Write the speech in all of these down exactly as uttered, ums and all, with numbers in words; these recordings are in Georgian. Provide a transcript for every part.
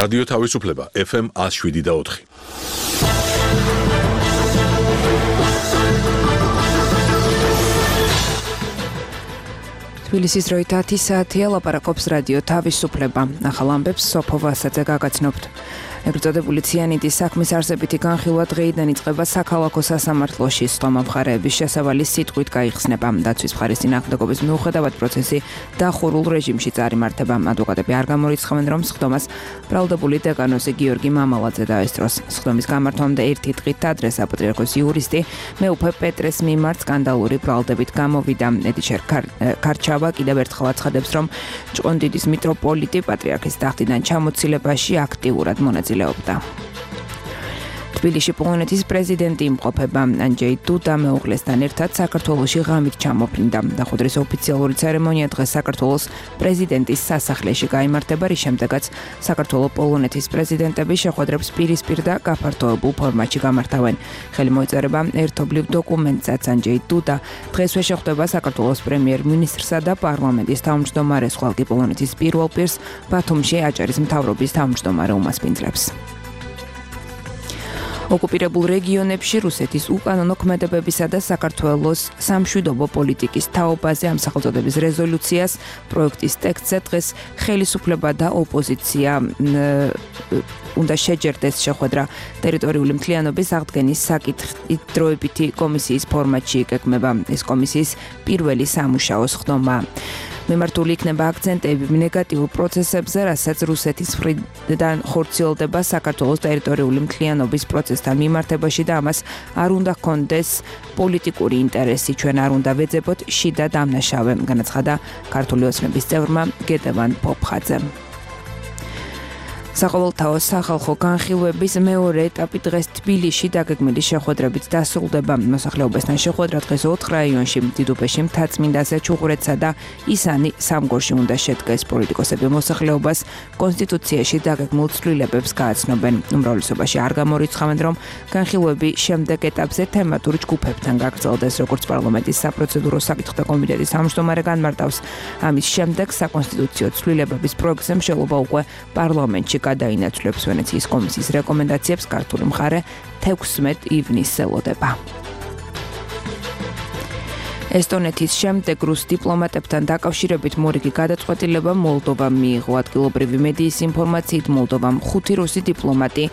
რადიო თავისუფლება ეფ ემ one oh seven და four. თბილისის დროით ათი საათია, ლაპარაკობს რადიო თავისუფლება. ახალ ამბებს სოფო ვასაძე გაგაცნობთ. ეგრეთ წოდებული ციანიდის საქმის არსებითი განხილვა დღეიდან იწყება საქალაქო სასამართლოში. სხდომა მხარეების შესავალი სიტყვით გაიხსნება. დაცვის მხარის წინააღმდეგობის მიუხედავად პროცესი დახურულ რეჟიმში წარიმართება. ადვოკატები არ გამორიცხავენ, რომ სხდომას ბრალდებული დეკანოზი გიორგი მამალაძე დაესწროს. სხდომის გამართვამდე ერთი დღით ადრე საპატრიარქოს იურისტი მეუფე პეტრეს მიმართ სკანდალური ბრალდებით გამოვიდა. ედიჩერ ქარჩავა კიდევ ერთხელ აცხადებს, რომ ჭყონდიდის მიტროპოლიტი პატრიარქის ტახტიდან ჩამოცილებაში აქტიურად მონაწილეობდა. თბილისში პოლონეთის პრეზიდენტი იმყოფება. ანჯეი დუდა მეუღლესთან ერთად საქართველოში ღამით ჩამოფრინდა. დახუდრის ოფიციალური ცერემონია დღეს საქართველოს პრეზიდენტის სასახლეში გაიმართება, რის შემდეგაც საქართველოს პოლონეთის პრეზიდენტები შეხვედრებს პირისპირ და გაფართოებულ ფორმატში გამართავენ. ხელი მოეწერება ერთობლივ დოკუმენტსაც. ანჯეი დუდა დღესვე შეხვდება საქართველოს პრემიერ-მინისტრსა და პარლამენტის თავმჯდომარეს, ხოლო პოლონეთის პირველ პირს ბათუმში აჭარის მთავრობის თავმჯდომარე უმასპინძლებს. ოკუპირებულ რეგიონებში რუსეთის უკანონო ქმედებებისა და საქართველოს სამშვიდობო პოლიტიკის თაობაზე ამ სახელწოდების რეზოლუციას პროექტის ტექსტზე დღეს ხელისუფლება და ოპოზიცია უნდა შეჯერდეს შეხვედრა ტერიტორიული მთლიანობის აღდგენის საკითხით დროებითი კომისიის ფორმატში იგეგმება. ეს კომისიის პირველი სამუშაო სხდომა. მიმართული იქნება აქცენტები ნეგატიურ პროცესებზე, რასაც რუსეთის მხრიდან ხორციელდება საქართველოს ტერიტორიული მთლიანობის პროცესთან მიმართებაში და ამას არ უნდა ჰქონდეს პოლიტიკური ინტერესი. ჩვენ არ უნდა ვეძებოთ შიდა დამნაშავე, განაცხადა ქართული ოცნების წევრმა გედევან პოპხაძემ. საყოველთაო სახალხო განხილვების მეორე ეტაპი დღეს თბილისში დაგეგმილი შეხვედრებით დასრულდება. მოსახლეობასთან შეხვედრა დღეს ოთხ რაიონში, დიდუბეში, მთაწმინდაზე, ჩუღურეთსა და ისანი სამგორში უნდა შედგეს. პოლიტიკოსები მოსახლეობას კონსტიტუციაში დაგეგმულ ცვლილებებს გააცნობენ. უმრავლესობაში არ გამორიცხავენ, რომ განხილვები შემდეგ ეტაპზე თემატურ ჯგუფებთან გაგრძელდეს, როგორც პარლამენტის საპროცედურო საკითხთა კომიტეტის თავმჯდომარე განმარტავს. ამის შემდეგ საკონსტიტუციო ცვლილებების პროექტზე მშენებლობა უკვე პარლამენტში გადაინაცვლებს. ვენეციის კომისიის რეკომენდაციებს ქართული მხარე თექვსმეტ ივნისს ელოდება. ესტონეთის შემდეგ რუს დიპლომატებთან დაკავშირებით მორიგი გადაწყვეტილება მოლდოვამ მიიღო. ადგილობრივი მედიის ინფორმაციით მოლდოვამ ხუთი რუსი დიპლომატი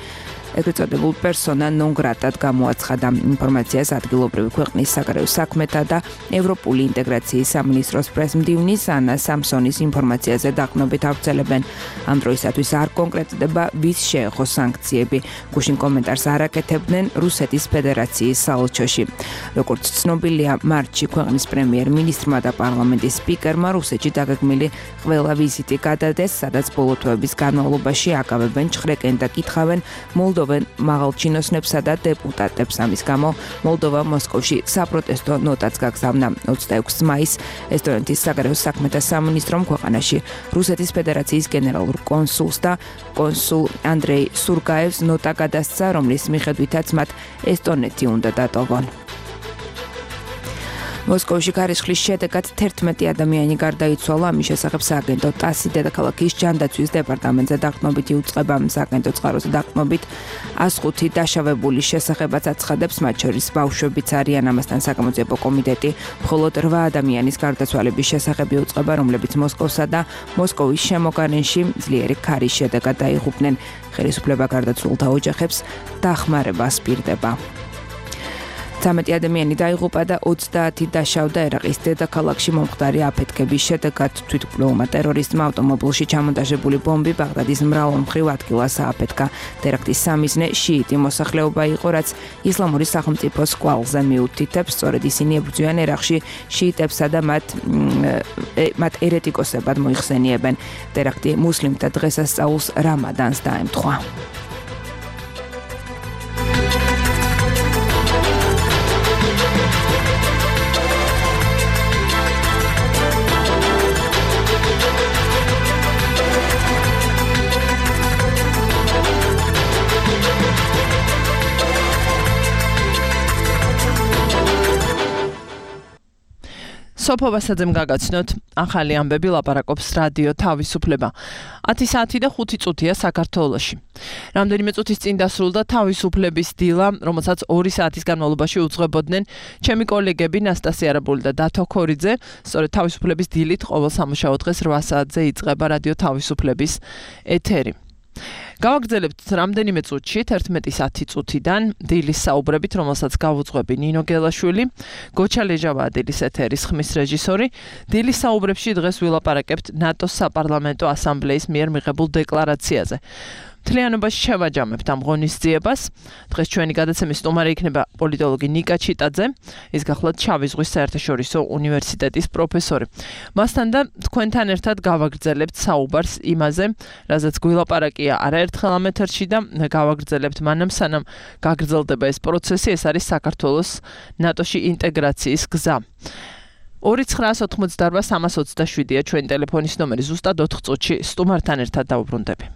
ეგრეთ წოდებულ პერსონა ნონ გრატად გამოაცხადა. ინფორმაციას ადგილობრივი ქვეყნის საგარეო საქმეთა და ევროპული ინტეგრაციის სამინისტროს პრესმდივნის ანა სამსონის ინფორმაციაზე დაყრდნობით ავრცელებენ. ამ დროისათვის არ კონკრეტდება ვის შეეხო სანქციები. გუშინ კომენტარს არ აკეთებდნენ რუსეთის ფედერაციის საელჩოში. როგორც ცნობილია, მარტში ქვეყნის პრემიერ-მინისტრმა და პარლამენტის სპიკერმა რუსეთში დაგეგმილი ყველა ვიზიტი გადადეს, სადაც ბოლო თვეების განმავლობაში აკავებენ ჩხრეკენ და კითხავენ მოლდოვას მაღალჩინოსნებსა და დეპუტატებს. ამის გამო მოლდოვა მოსკოვში საპროტესტო ნოტაც გაგზავნა. ოცდაექვსი მაისს ესტონეთის საგარეო საქმეთა სამინისტრომ ქვეყანაში რუსეთის ფედერაციის გენერალურ კონსულს და კონსულ ანდრეი სურგაევს ნოტა გადასცა, რომლის მიხედვითაც მათ ესტონეთი უნდა დატოვონ. მოსკოვში ქარიშხლის შედეგად თერთმეტი ადამიანი გარდაიცვალა. ამის შესახებ სააგენტო ტასი დედაქალაქის ჯანდაცვის დეპარტამენტზე დაყრდნობით იუწყება. სააგენტო წყაროზე დაყრდნობით one oh five დაშავებულის შესახებაც აცხადებს, მათ შორის ბავშვებიც არიან. ამასთან საკამოძიებო კომიტეტი მხოლოდ რვა ადამიანის გარდაცვალების შესახებ იუწყება, რომლებიც მოსკოვსა და მოსკოვის შემოგარენში ძლიერი ქარის შედეგად დაიღუპნენ. ხელისუფლება გარდაცვლილთა ოჯახებს დახმარებას პირდება. ცამეტი ადამიანი დაიღუპა და ოცდაათი დაშავდა ერაყის დედაქალაქში მომხდარი აფეთქების შედეგად. თვითმკვლელმა ტერორისტმა ავტომობილში ჩამონტაჟებული ბომბი ბაღდადის მრავალმხრივ ადგილას ააფეთქა. ტერაქტის სამიზნე შიიტი მოსახლეობა იყო, რაც ისლამური სახელმწიფოს კვალზე მიუთითებს. სწორედ ისინი ებრძვიან ერაყში შიიტებსა და მათ მათ ერეტიკოსებად მოიხსენიებენ. ტერაქტი მუსლიმთა დღესასწაულს რამადანს დაემთხვა. სოფო ვასაძემ გაგაცნოთ, ახალი ამბები ლაპარაკობს რადიო თავისუფლება. ათი საათი და ხუთი წუთია საქართველოში. რამდენიმე წუთის წინ დასრულდა თავისუფლების დილა, რომელსაც ორი საათის განმავლობაში უძღვებოდნენ ჩემი კოლეგები ნასტასია არაბული და დათო ქორიძე. სწორედ თავისუფლების დილით ყოველ სამუშაო დღეს რვა საათზე იწყება რადიო თავისუფლების ეთერი. გავაგრძელებთ რამდენიმე წუთში, თერთმეტის ათი წუთიდან დილის საუბრებით, რომელსაც გავუძღვები ნინო გელაშვილი, გოჩა ლეჟავაა დილის ეთერის ხმის რეჟისორი. დილის საუბრებში დღეს ვილაპარაკებთ ნატოს საპარლამენტო ასამბლეის მიერ მიღებულ დეკლარაციაზე. მთლიანობაში შევაჯამებთ ამ ღონისძიებას. დღეს ჩვენი გადაცემის სტუმარი იქნება პოლიტოლოგი ნიკა ჩიტაძე, ის გახლავთ შავი ზღვის საერთაშორისო უნივერსიტეტის პროფესორი. მასთან და თქვენთან ერთად გავაგრძელებთ საუბარს იმაზე, რაზეც გვილაპარაკია არაერთხელ ამ ეთერში და გავაგრძელებთ მანამ სანამ გაგრძელდება ეს პროცესი, ეს არის საქართველოს ნატოში ინტეგრაციის გზა. ორი ცხრაას ოთხმოცდარვა სამას ოცდაშვიდია ჩვენი ტელეფონის ნომერი, ზუსტად ოთხ წუთში სტუმართან ერთად დავუბრუნდები.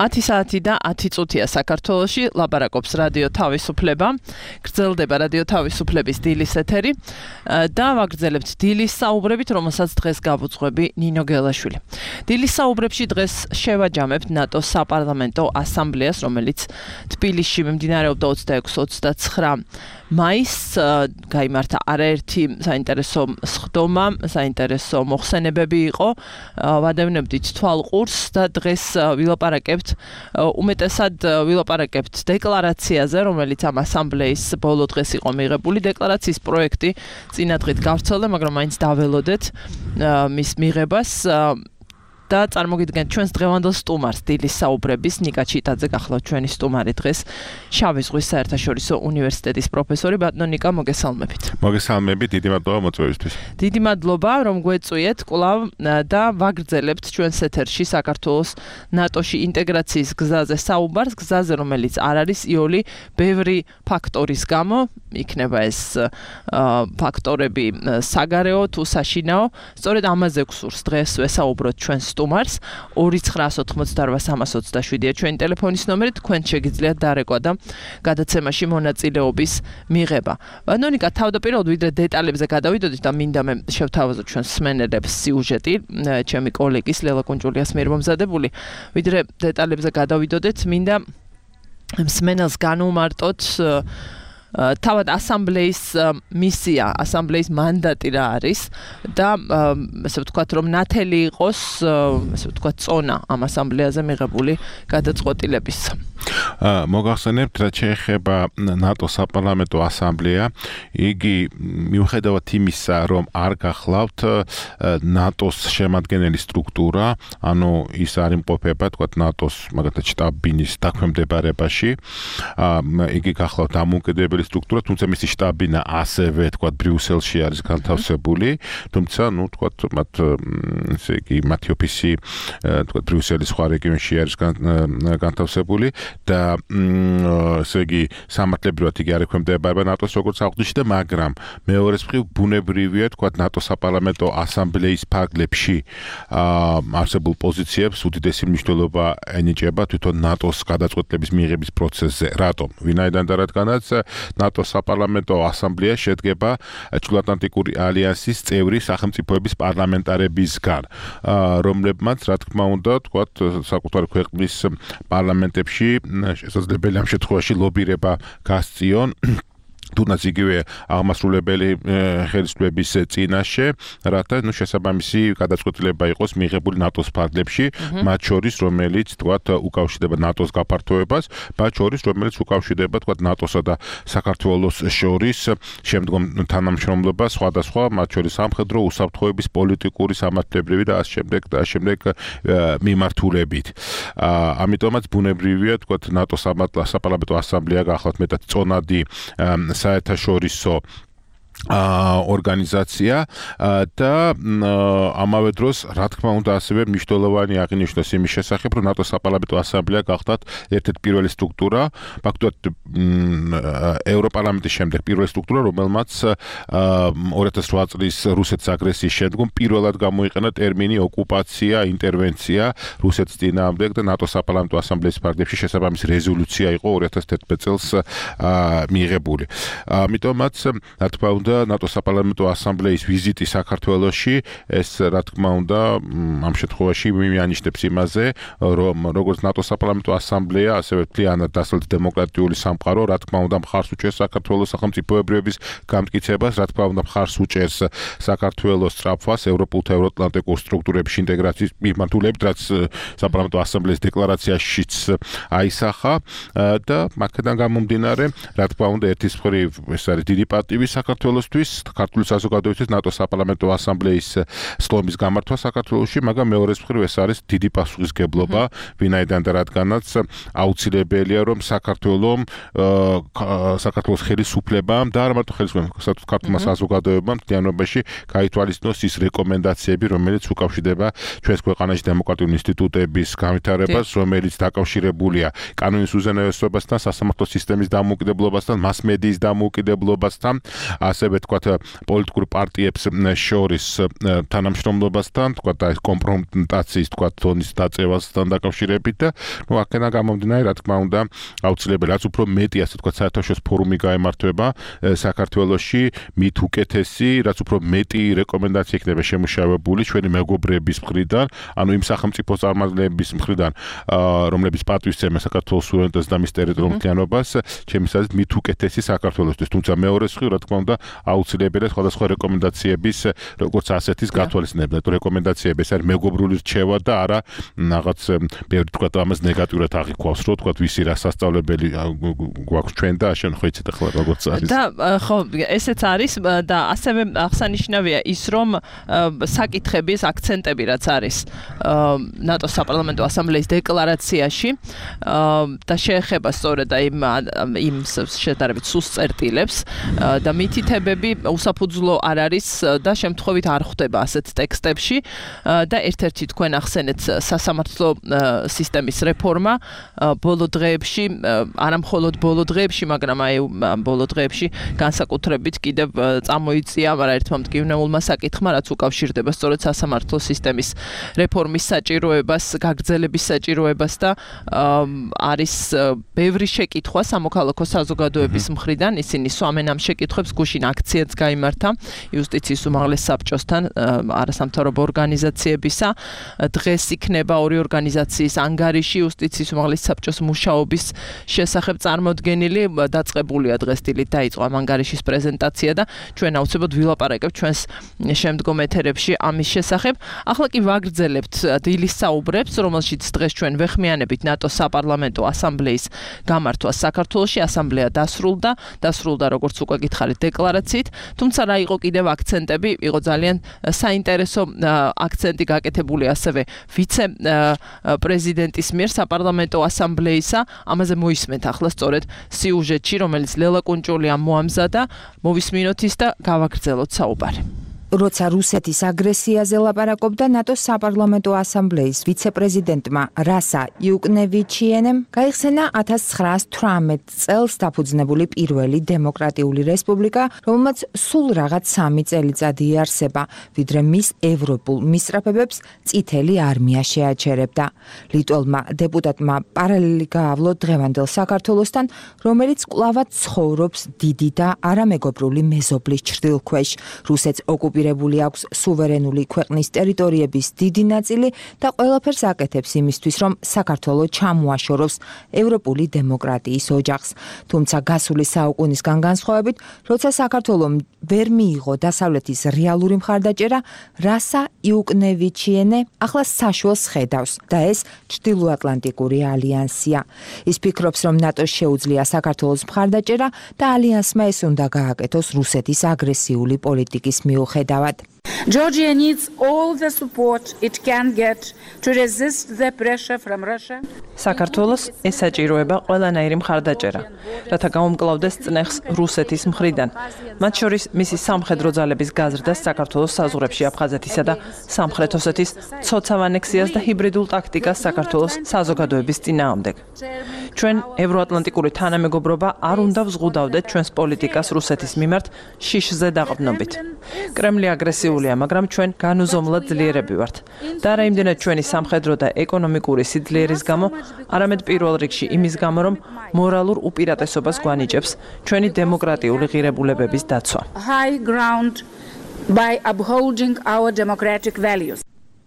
ათი საათი და ათი წუთია საქართველოში, ლაპარაკობს რადიო თავისუფლება. გრძელდება რადიო თავისუფლების დილის ეთერი და ვაგრძელებთ დილის საუბრებით, რომელსაც დღეს გავუძღვები ნინო გელაშვილი. დილის საუბრებში დღეს შევაჯამებთ ნატოს საპარლამენტო ასამბლეას, რომელიც თბილისში მიმდინარეობდა ოცდაექვსი ოცდაცხრა მაისს, გაიმართა არაერთი საინტერესო სხდომა, საინტერესო მოხსენებები იყო. ვადევნებდით თვალყურს და დღეს ვილაპარაკებთ, უმეტესად ვილაპარაკებთ დეკლარაციაზე, რომელიც ამ ასამბლეის ბოლო დღეს იყო მიღებული. დეკლარაციის პროექტი წინა დღით გავრცელდა, მაგრამ მაინც დაველოდეთ მის მიღებას. და წარმოგიდგენთ ჩვენს დღევანდელ სტუმარს, დილის საუბრების ნიკა ჩიტაძე გახლავთ ჩვენი სტუმარი დღეს, შავი ზღვის საერთაშორისო უნივერსიტეტის პროფესორი. ბატონო ნიკა, მოგესალმებით. მოგესალმებით, დიდი მადლობა მოწვევისთვის. დიდი მადლობა, რომ გვეწვიეთ კვლავ და ვაგრძელებთ ჩვენს ეთერში საქართველოს ნატოში ინტეგრაციის გზაზე საუბარს, გზაზე, რომელიც არ არის იოლი ბევრი ფაქტორის გამო, იქნება ეს ფაქტორები საგარეო თუ საშინაო. სწორედ ამაზე გვსურს დღეს ვესაუბროთ ჩვენს სტუმარს. ორი ცხრაას ოთხმოცდაორ სამას ოცდაშვიდია ჩვენი ტელეფონის ნომერი, თქვენ შეგიძლიათ დარეკვა და გადაცემაში მონაწილეობის მიღება. ბატონიკა, თავდაპირველად ვიდრე დეტალებზე გადავიდოდით და მინდა მე შევთავაზოთ ჩვენს მსმენელებს სიუჟეტი, ჩემი კოლეგის ლელა კუნჭულიას მიერ მომზადებული, ვიდრე დეტალებზე გადავიდოდეთ, მინდა მსმენელს განვმარტოთ თავად ასამბლეის მისია, ასამბლეის მანდატი რა არის და ესე ვთქვათ, რომ ნათელი იყოს, ესე ვთქვათ, წონა ამ ასამბლეაზე მიღებული გადაწყვეტილების. მოგახსენებთ, რაც შეეხება ნატოს საპარლამენტო ასამბლეა, იგი მიუხედავად იმისა, რომ არ გახლავთ ნატოს შემადგენელი სტრუქტურა, ანუ ის არ იმყოფება, თქვათ, ნატოს მაგალითად შტაბ-ბინის დაქვემდებარებაში, იგი გახლავთ დამოუკიდებელი სტრუქტურა, თუმცა მისი შტაბ-ბინა ასევე, თქვათ, ბრიუსელში არის განთავსებული, თუმცა, ну, თქვათ, მათ ესე იგი, მათი ოფისი, თქვათ, ბრიუსელის სხვა რეგიონში არის განთავსებული და ესე იგი, სამართლებრივად იგი არ ექვემდებარება ნატოს როგორც აღნიშნე, მაგრამ მეორე მხრივ ბუნებრივია, თქვათ, ნატოს საპარლამენტო ასამბლეის ფარგლებში არსებულ პოზიციებს უდიდესი მნიშვნელობა ენიჭება თვითონ ნატოს გადაწყვეტილების მიღების პროცესზე. რატომ? ვინაიდან და რადგანაც ნატოს საპარლამენტო ასამბლეა შედგება ჩრდილოატლანტიკური ალიანსის წევრი სახელმწიფოების პარლამენტარებისგან, რომლებმაც, რა თქმა უნდა, თქვათ, საკუთარი ქვეყნის პარლამენტებში შესაძლებელია ამ შემთხვევაში ლობირება გასწიონ თუნდაც იგივე აღმასრულებელი ხელისუფლების წინაშე, რათა ნუ შესაბამისი გადაწყვეტილება იყოს მიღებული ნატოს ფარგლებში, მათ შორის, რომელიც თქვათ უკავშირდება ნატოს გაფართოებას, მათ შორის, რომელიც უკავშირდება თქვათ ნატოსა და საქართველოს შორის შემდგომ თანამშრომლობას, სხვადასხვა, მათ შორის სამხედრო უსაფრთხოების, პოლიტიკური, სამართლებრივი და ასე შემდეგ და ასე შემდეგ მიმართულებით. ამიტომაც ბუნებრივია თქვათ ნატოს საპარლამენტო ასამბლეა გახლავთ მეტად წონადი საერთაშორისო ორგანიზაცია და ამავე დროს, რა თქმა უნდა, ასევე მნიშვნელოვანი აღინიშნოს იმის შესახებ, რომ ნატოს საპარლამენტო ასამბლეა გახდათ ერთ-ერთი პირველი სტრუქტურა, ფაქტობრივად ევროპარლამენტის შემდეგ პირველი სტრუქტურა, რომელმაც ორი ათას ოთხ წლის რუსეთის აგრესიის შემდგომ პირველად გამოიყენა ტერმინი ოკუპაცია, ინტერვენცია რუსეთის წინააღმდეგ და ნატოს საპარლამენტო ასამბლეის ფარგლებში შესაბამისი რეზოლუცია იყო ორი ათას თერთმეტ წელს მიღებული. ამიტომაც, რა თქმა უნდა, ნატოს საპარლამენტო ასამბლეის ვიზიტი საქართველოში, ეს რა თქმა უნდა, ამ შემთხვევაში მიანიშნებს იმაზე, რომ როგორც ნატოს საპარლამენტო ასამბლეა, ასევე მთლიანად დასავლეთ დემოკრატიული სამყარო, რა თქმა უნდა, მხარს უჭერს საქართველოს სახელმწიფოებრიობის გამტკიცებას, რა თქმა უნდა, მხარს უჭერს საქართველოს სწრაფვას ევროპულ და ევროატლანტიკურ სტრუქტურებში ინტეგრაციის მიმართულებით, რაც საპარლამენტო ასამბლეის დეკლარაციაშიც აისახა და აქედან გამომდინარე, რა თქმა უნდა, ერთის მხრივ ეს არის დიდი პატივი საქართველოს ქართული საზოგადოებისთვის ნატოს საპარლამენტო ასამბლეის სხდომის გამართვა საქართველოში, მაგრამ მეორე მხრივ ეს არის დიდი პასუხისგებლობა, ვინაიდან და რადგანაც აუცილებელია, რომ საქართველოს საქართველოს ხელისუფლებამ და არა მარტო ხელისუფლებამ, ქართულმა საზოგადოებამ მთლიანობაში გაითვალისწინოს ის რეკომენდაციები, რომელიც უკავშირდება ჩვენს ქვეყანაში დემოკრატიული ინსტიტუტების განვითარებას, რომელიც დაკავშირებულია კანონის უზენაესობასთან, სასამართლო სისტემის დამოუკიდებლობასთან, მასმედიის დამოუკიდებლობასთან, ასე ასევე თქვათ პოლიტიკურ პარტიებს შორის თანამშრომლობასთან, თქვათ აი კომპრომიტაციის თქვათ თონის დაწევასთან დაკავშირებით და ნუ აქედან გამომდინარე, რა თქმა უნდა, აუცილებელი რაც უფრო მეტი ასე თქვათ საერთაშორისო ფორუმი გაემართება საქართველოში, მით უკეთესი, რაც უფრო მეტი რეკომენდაცია იქნება შემუშავებული ჩვენი მეგობრების მხრიდან, ანუ იმ სახელმწიფო წარმომადგენლების მხრიდან, რომლებიც პატივისცემენ საქართველოს სუვერენიტეტს და მის ტერიტორიულობას, ჩემი აზრით მით უკეთესი საქართველოსთვის, თუმცა მეორე მხრივ, რა თქმა უნდა, აუცილებელია სხვადასხვა რეკომენდაციების, როგორც ასეთის გათვალისწინება, თუ რეკომენდაციები ეს არის მეგობრული რჩევა და არა რაღაც ბევრი თქვათ ამას ნეგატიურად აღიქვავს, რომ თქვათ ვისი რა სასწავლებელი გვაქვს ჩვენ და შენ ხო იცით ახლა როგორც არის. და ხო, ესეც არის და ასევე აღსანიშნავია ის, რომ საკითხების აქცენტები რაც არის ნატოს საპარლამენტო ასამბლეის დეკლარაციაში და შეეხება სწორედ იმ იმ შედარებით სუსტ წერტილებს და მითითებები უსაფუძვლო არ არის და შემთხვევით არ ხვდება ასეთ ტექსტებში და ერთ-ერთი თქვენ ახსენეთ სასამართლო სისტემის რეფორმა ბოლო დღეებში, არა მხოლოდ ბოლო დღეებში, მაგრამ აი ბოლო დღეებში განსაკუთრებით კიდევ წამოიწია, მაგრამ ერთმა მტკივნეულმა საკითხმა, რაც უკავშირდება სწორედ სასამართლო სისტემის რეფორმის საჭიროებას, გაგრძელების საჭიროებას და არის ბევრი შეკითხვა სამოქალაქო საზოგადოების მხრიდან, ისინი სვამენ ამ შეკითხვებს, გუშინ აქციაც გაიმართა იუსტიციის უმაღლეს საბჭოსთან არასამთავრობო ორგანიზაციებისა. დღეს იქნება ორი ორგანიზაციის ანგარიში იუსტიციის უმაღლეს საბჭოს მუშაობის შესახებ წარმოდგენილი, დაწყებულია დღეს დილით დაიწყო ამ ანგარიშის პრეზენტაცია და ჩვენ აუცილებლად ვილაპარაკებთ ჩვენს შემდგომ ეთერებში ამის შესახებ. ახლა კი ვაგრძელებთ დილის საუბრებს, რომელშიც დღეს ჩვენ ვეხმიანებით ნატოს საპარლამენტო ასამბლეის გამართვას საქართველოში. ასამბლეა დასრულდა, დასრულდა როგორც უკვე გითხარით დეკლარაციით, თუმცა რა იყო კიდევ აქცენტები, იყო ძალიან საინტერესო აქცენტი გაკეთებული ასევე ვიცე პრეზიდენტის მიერ საპარლამენტო ასამბლეისა. ამაზე მოისმენთ ახლა სწორედ სიუჟეტში, რომელიც ლელა კუნჭულიამ მოამზადა, მოვისმინოთ ის და გავაგრძელოთ საუბარი. როცა რუსეთის აგრესიაზე ლაპარაკობდა ნატოს საპარლამენტო ასამბლეის ვიცე-პრეზიდენტმა რასა იუკნევიჩიენემ, გაიხსენა ათას ცხრაას თვრამეტ წელს დაფუძნებული პირველი დემოკრატიული რესპუბლიკა, რომელმაც სულ რაღაც სამი წელიწადი იარსება, ვიდრე მის ევროპულ მისწრაფებებს წითელი არმია შეაჩერებდა. ლიტველმა დეპუტატმა პარალელი გაავლო დღევანდელ საქართველოსთან, რომელიც კვლავად ცხოვრობს დიდი და არამეგობრული მეზობლის ჩრდილქვეშ. რუსეთს ოკუპირებული აქვს სუვერენული ქვეყნის ტერიტორიების დიდი ნაწილი და ყველაფერს აკეთებს იმისთვის, რომ საქართველო ჩამოაშოროს ევროპული დემოკრატიის ოჯახს. თუმცა გასული საუკუნისგან განსხვავებით, როცა საქართველომ ვერ მიიღო დასავლეთის რეალური მხარდაჭერა, რასა იუკნევიჩიენე ახლა საშუალს ხედავს და ეს ჩრდილოატლანტიკური ალიანსია. ის ფიქრობს, რომ ნატოს შეუძლია საქართველოს მხარდაჭერა და ალიანსმა ეს უნდა გააკეთოს რუსეთის აგრესიული პოლიტიკის მიუხედავად. Georgia needs all the support it can get to resist the pressure from Russia. საქართველოს ეს საჭიროება ყველანაირი მხარდაჭერა, რათა გაუმკლავდეს წნეხს რუსეთის მხრიდან. მათ შორის მისი სამხედრო ძალების გაზრდას საქართველოს საზღვრებში აფხაზეთისა და სამხრეთ ოსეთის ცოცავ ანექსიას და ჰიბრიდულ ტაქტიკას საქართველოს საზოგადოების წინააღმდეგ. ჩვენ ევროატლანტიკური თანამეგობრობა არ უნდა ვზღუდავდეთ ჩვენს პოლიტიკას რუსეთის მიმართ შიშზე დაყრდნობით. კრემლი აგრესიულია, მაგრამ ჩვენ განუზომლად ძლიერები ვართ. და არა იმდენად ჩვენი სამხედრო და ეკონომიკური სიძლიერის გამო, არამედ პირველ რიგში იმის გამო, რომ მორალურ უპირატესობას გვანიჭებს ჩვენი დემოკრატიული ღირებულებების დაცვა. High ground by upholding our democratic values.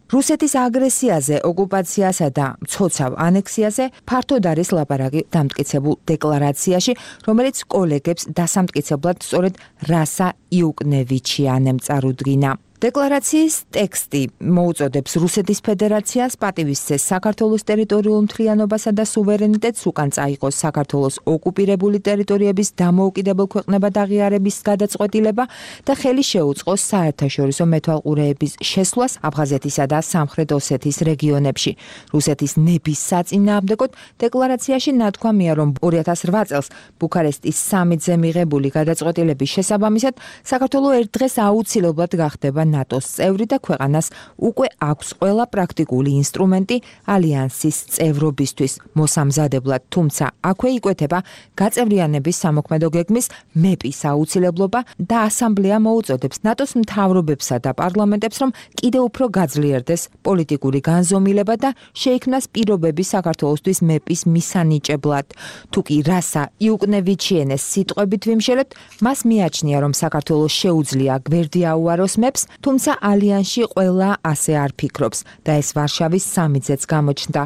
რუსეთის აგრესიაზე, ოკუპაციასა და მცოცავ ანექსიაზე ფართოდ არის ლაპარაკი დამტკიცებულ დეკლარაციაში, რომელიც კოლეგებს დასამტკიცებლად სწორედ რასა იუკნევიჩიანემ წარუდგინა. დეკლარაციის ტექსტი მოუწოდებს რუსეთის ფედერაციას პატივისცეს საქართველოს ტერიტორიულ მთლიანობასა და სუვერენიტეტს, უკან წაიღოს საქართველოს ოკუპირებული ტერიტორიების დამოუკიდებელ ქვეყნებად აღიარების გადაწყვეტილება და ხელი შეუწყოს საერთაშორისო მეთვალყურეების შესვლას აფხაზეთისა და სამხრეთ ოსეთის რეგიონებში. რუსეთის ნების საწინააღმდეგოდ დეკლარაციაში ნათქვამია, რომ ორი ათას რვა წელს ბუქარესტის სამიტზე მიღებული გადაწყვეტილების შესაბამისად საქართველო ერთ დღეს აუცილებლად გახდება ნატოს წევრი და ქვეყანას უკვე აქვს ყველა პრაქტიკული ინსტრუმენტი ალიანსის წევრობისთვის მოსამზადებლად, თუმცა აქვე იკვეთება გაწევრიანების სამოქმედო გეგმის მეპის აუცილებლობა და ასამბლეა მოუწოდებს ნატოს მთავრობებსა და პარლამენტებს, რომ კიდევ უფრო გაძლიერდეს პოლიტიკური განზომილება და შეიქმნას პირობები საქართველოსთვის მეპის მისანიჭებლად. თუ კი რასა იუკნევიჩიენეს სიტყვებით ვიმშელებთ, მას მიაჩნია, რომ საქართველოს შეუძლია გვერდი აუაროს მეპს, თუმცა ალიანსში ყველა ასე არ ფიქრობს და ეს ვარშავის სამიტზეც გამოჩნდა.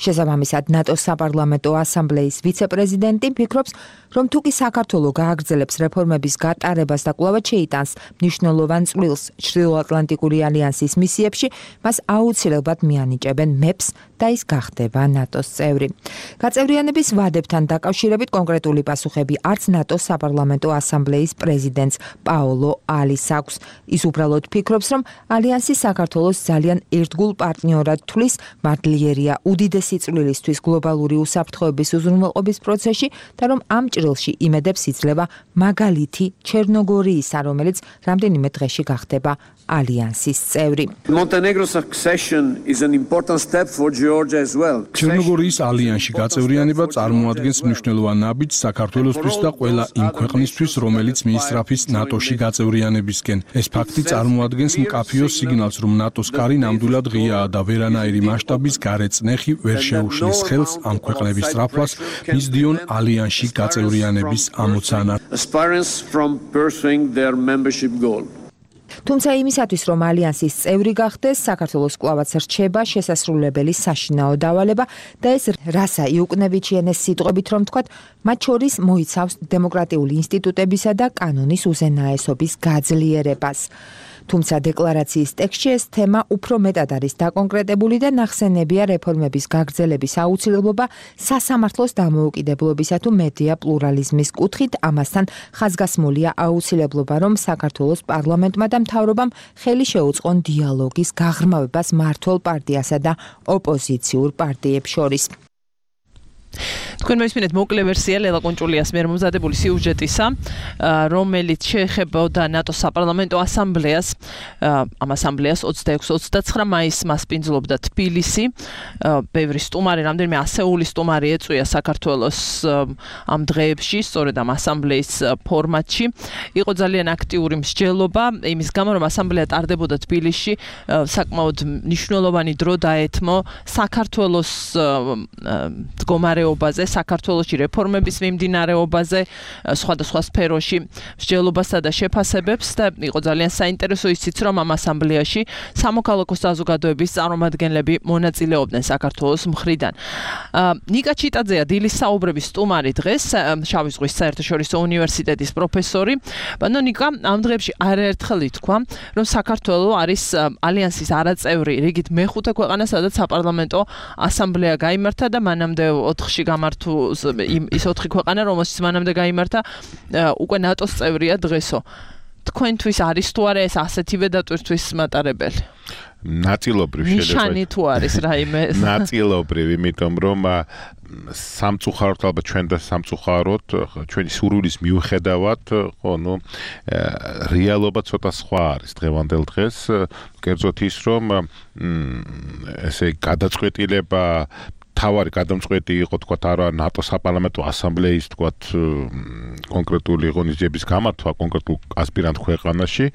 შესაბამისად, ნატოს საპარლამენტო ასამბლეის ვიცე-პრეზიდენტი ფიქრობს, რომ თუ კი საქართველოს გააგრძელებს რეფორმების გატარებას და კვლავ შეიტანს მნიშვნელოვან წვლილს ჩრდილოატლანტიკური ალიანსის მისიებში, მას აუცილებლად მიანიჭებენ მეპს და ის გახდება ნატოს წევრი. გაწევრიანების ვადებთან დაკავშირებით კონკრეტული პასუხები არც ნატოს საპარლამენტო ასამბლეის პრეზიდენტს პაოლო ალის აქვს. ის უბრალოდ ფიქრობს, რომ ალიანსი საქართველოს ძალიან ერთგულ პარტნიორად თვლის, მართლიერია უდიდესი წვლილისთვის გლობალური უსაფრთხოების უზრუნველყოფის პროცესში და რომ ამ ჭრილში იმედებს იძლევა მაგალითი ჩერნოგორიისა, რომელიც რამდენიმე დღეში გახდება ალიანსის წევრი. Montenegro's accession is an important step for Georgia as well. ჩერნოგორიის ალიანსში გაწევრიანება წარმოადგენს მნიშვნელოვან ნაბიჯს საქართველოსთვის და ყველა იმ ქვეყნისთვის, რომელიც მიისწრაფის ნატოში გაწევრიანებისკენ. ეს ფაქტი წარმოადგენს მკაფიო სიგნალს, რომ ნატოს კარი ნამდვილად ღიაა და ვერანაირი მასშტაბის გარეწნეხი ვერ შეუშლის ხელს ამ ქვეყნების სწრაფვას მისდიონ ალიანსში გაწევრიანების ამოცანა. Aspirants from pursuing their membership goal. თუმცა იმისათვის, რომ ალიანსის წევრი გახდეს, საქართველოს კვლავაც რჩება შესასრულებელი საშინაო დავალება და ეს რასა იუკნევიჩიენეს სიტყვებით რომ თქვათ, მათ შორის მოიცავს დემოკრატიული ინსტიტუტებისა და კანონის უზენაესობის გაძლიერებას. თუმცა დეკლარაციის ტექსტში ეს თემა უფრო მეტად არის დაკონკრეტებული და ნახსენებია რეფორმების გაგრძელების აუცილებლობა სასამართლოს დამოუკიდებლობისა თუ მედია პლურალიზმის კუთხით, ამასთან ხაზგასმულია აუცილებლობა, რომ საქართველოს პარლამენტმა და მთავრობამ ხელი შეუწყონ დიალოგის გაღრმავებას მმართველ პარტიასა და ოპოზიციურ პარტიებს შორის. თქვენ მოისმინეთ მოკლე ვერსია ლელა კონჭულიას მიერ მომზადებული სიუჟეტისა, რომელიც შეეხებოდა ნატოს საპარლამენტო ასამბლეას. ამ ასამბლეას ოცდაექვსი ოცდაცხრა მაისს მასპინძლობდა თბილისი. ბევრი სტუმარი, რამდენიმე ასეული სტუმარი ეწვია საქართველოს ამ დღეებში, სწორედ ამ ასამბლეის ფორმატში. იყო ძალიან აქტიური მსჯელობა, იმის გამო, რომ ასამბლეა ტარდებოდა თბილისში, საკმაოდ მნიშვნელოვანი დრო დაეთმო საქართველოს მდგომარეობაზე, საქართველოში რეფორმების მიმდინარეობაზე, სხვადასხვა სფეროში მსჯელობასა და შეფასებებს და იყო ძალიან საინტერესო ისიც, რომ ამ ასამბლეაში სამოქალაქო საზოგადოების წარმომადგენლები მონაწილეობდნენ საქართველოს მხრიდან. ნიკა ჩიტაძეა დილის საუბრების სტუმარი დღეს, შავი ზღვის საერთაშორისო უნივერსიტეტის პროფესორი. ბანო ნიკა, ამ დღეებში არაერთხელ ითქვა, რომ საქართველო არის ალიანსის არაწევრი რიგით მეხუთე ქვეყანა, სადაც საპარლამენტო ასამბლეა გაიმართა და მანამდე ოთხში გამართულ ის ოთხი ქვეყანა, რომელშიც მანამდე გაიმართა, უკვე ნატოს წევრია დღესო. თქვენთვის არის თუ არა ეს ასეთივე დატვირთვის მატარებელი? ნაწილობრივ შეიძლება. ნიშანი თუ არის რაიმე? ნაწილობრივ, იმიტომ რომ სამწუხაროდ ალბათ ჩვენ და სამწუხაროდ ჩვენი სურვილის მიუხედავად, ხო, ნუ რეალობა ცოტა სხვა არის დღევანდელ დღეს, კერძოდ ის, რომ ესე გადაწყვეტილება თავარი გადამწყვეტი იყო, თქვათ, არა ნატოს საპარლამენტო ასამბლეის, თქვათ, კონკრეტული ღონისძიების გამართვა კონკრეტულ ასპირანტ ქვეყანაში,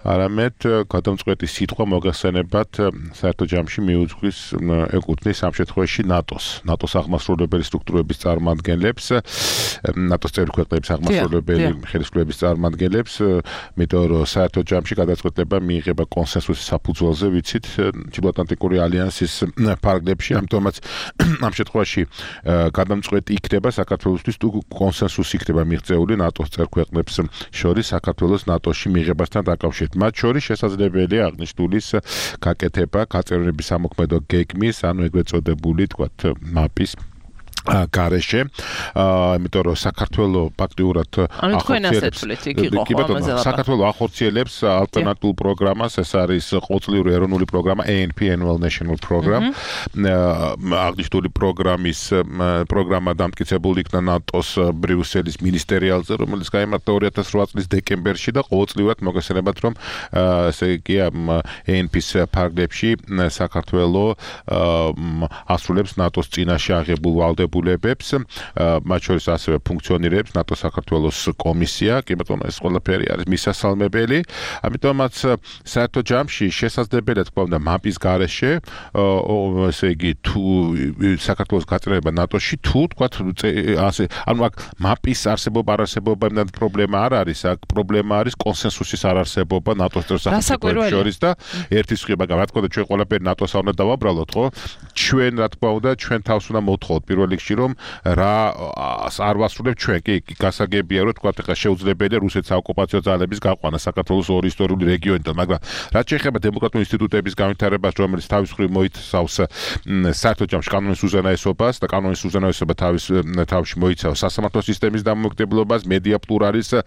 არამედ გადამწყვეტი სიტყვა მოგახსენებათ საერთო ჯამში მიუძღვის ეკუთვნის ამ შემთხვევაში ნატოს, ნატოს აღმასრულებელი სტრუქტურების წარმომადგენლებს, ნატოს წევრი ქვეყნების აღმასრულებელი ხელისუფლების წარმომადგენლებს, იმიტომ რომ საერთო ჯამში გადაწყვეტილება მიიღება კონსენსუსის საფუძველზე, ვიცით, ჩრდილოატლანტიკური ალიანსის ფარგლებში, ამიტომაც ამ შემთხვევაში გადამწყვეტი იქნება საქართველოსთვის თუ კონსენსუსი იქნება მიღწეული ნატოს წევრ ქვეყნებს შორის საქართველოს ნატოში მიღებასთან დაკავშირებით. მათ შორის შესაძლებელია აღნიშნულის გაკეთება გაწევრიანების სამოქმედო გეგმის, ანუ ეგრეთ წოდებული, თქვათ, მაპის გარეშე, იმიტომ რომ საქართველოს ფაქტიურად ახორციელებს საქართველოს ახორციელებს ალტერნატიულ პროგრამას, ეს არის ყოველწლიური ეროვნული პროგრამა A N P Annual National Program. აღნიშნული პროგრამის პროგრამა დამტკიცებული იქნა ნატოს ბრიუსელის მინისტერიალზე, რომელიც გაიმართა ორი ათას ოთხ წლის დეკემბერში და ყოველწლიურად მოგესალმებათ, რომ ესე იგი A N P-ს ფარგლებში საქართველოს ასრულებს ნატოს წინაშე აღებულ ვალდებულებას ლებებს, მათ შორის ასევე ფუნქციონირებს ნატო საქართველოს კომისია, კი ბატონო, ეს ყველაფერი არის მისასალმებელი, ამიტომაც საერთო ჯამში შესაძლებელია თქვა უნდა მაპის გარეშე, ესე იგი თუ საქართველოს გაწევრება ნატოში, თუ თქვა ასე, ანუ აქ მაპის არსებობა არ არსებობა იმდან პრობლემა არ არის, აქ პრობლემა არის კონსენსუსის არ არსებობა ნატოს სახელმწიფოებს შორის და ერთის მხრივ, მაგრამ რა თქმა უნდა ჩვენ ყველაფერი ნატოს არ უნდა დავაბრალოთ, ხო? ჩვენ რა თქმა უნდა ჩვენ თავს უნდა მოვთხოვოთ პირველ რიგში რომ რა არ ვასრულებთ ჩვენ კი გასაგებია რომ თქვა ხა შეუძლებელია რუსეთის ოკუპაციო ძალების გაყვანა საქართველოს ორი ისტორიული რეგიონიდან, მაგრამ რაც შეეხება დემოკრატიული ინსტიტუტების განვითარებას, რომელიც თავის მხრივ მოიცავს საერთო ჯამში კანონის უზენაესობას და კანონის უზენაესობა თავის თავში მოიცავს სასამართლო სისტემის დამოუკიდებლობას, მედია პლურალიზმს,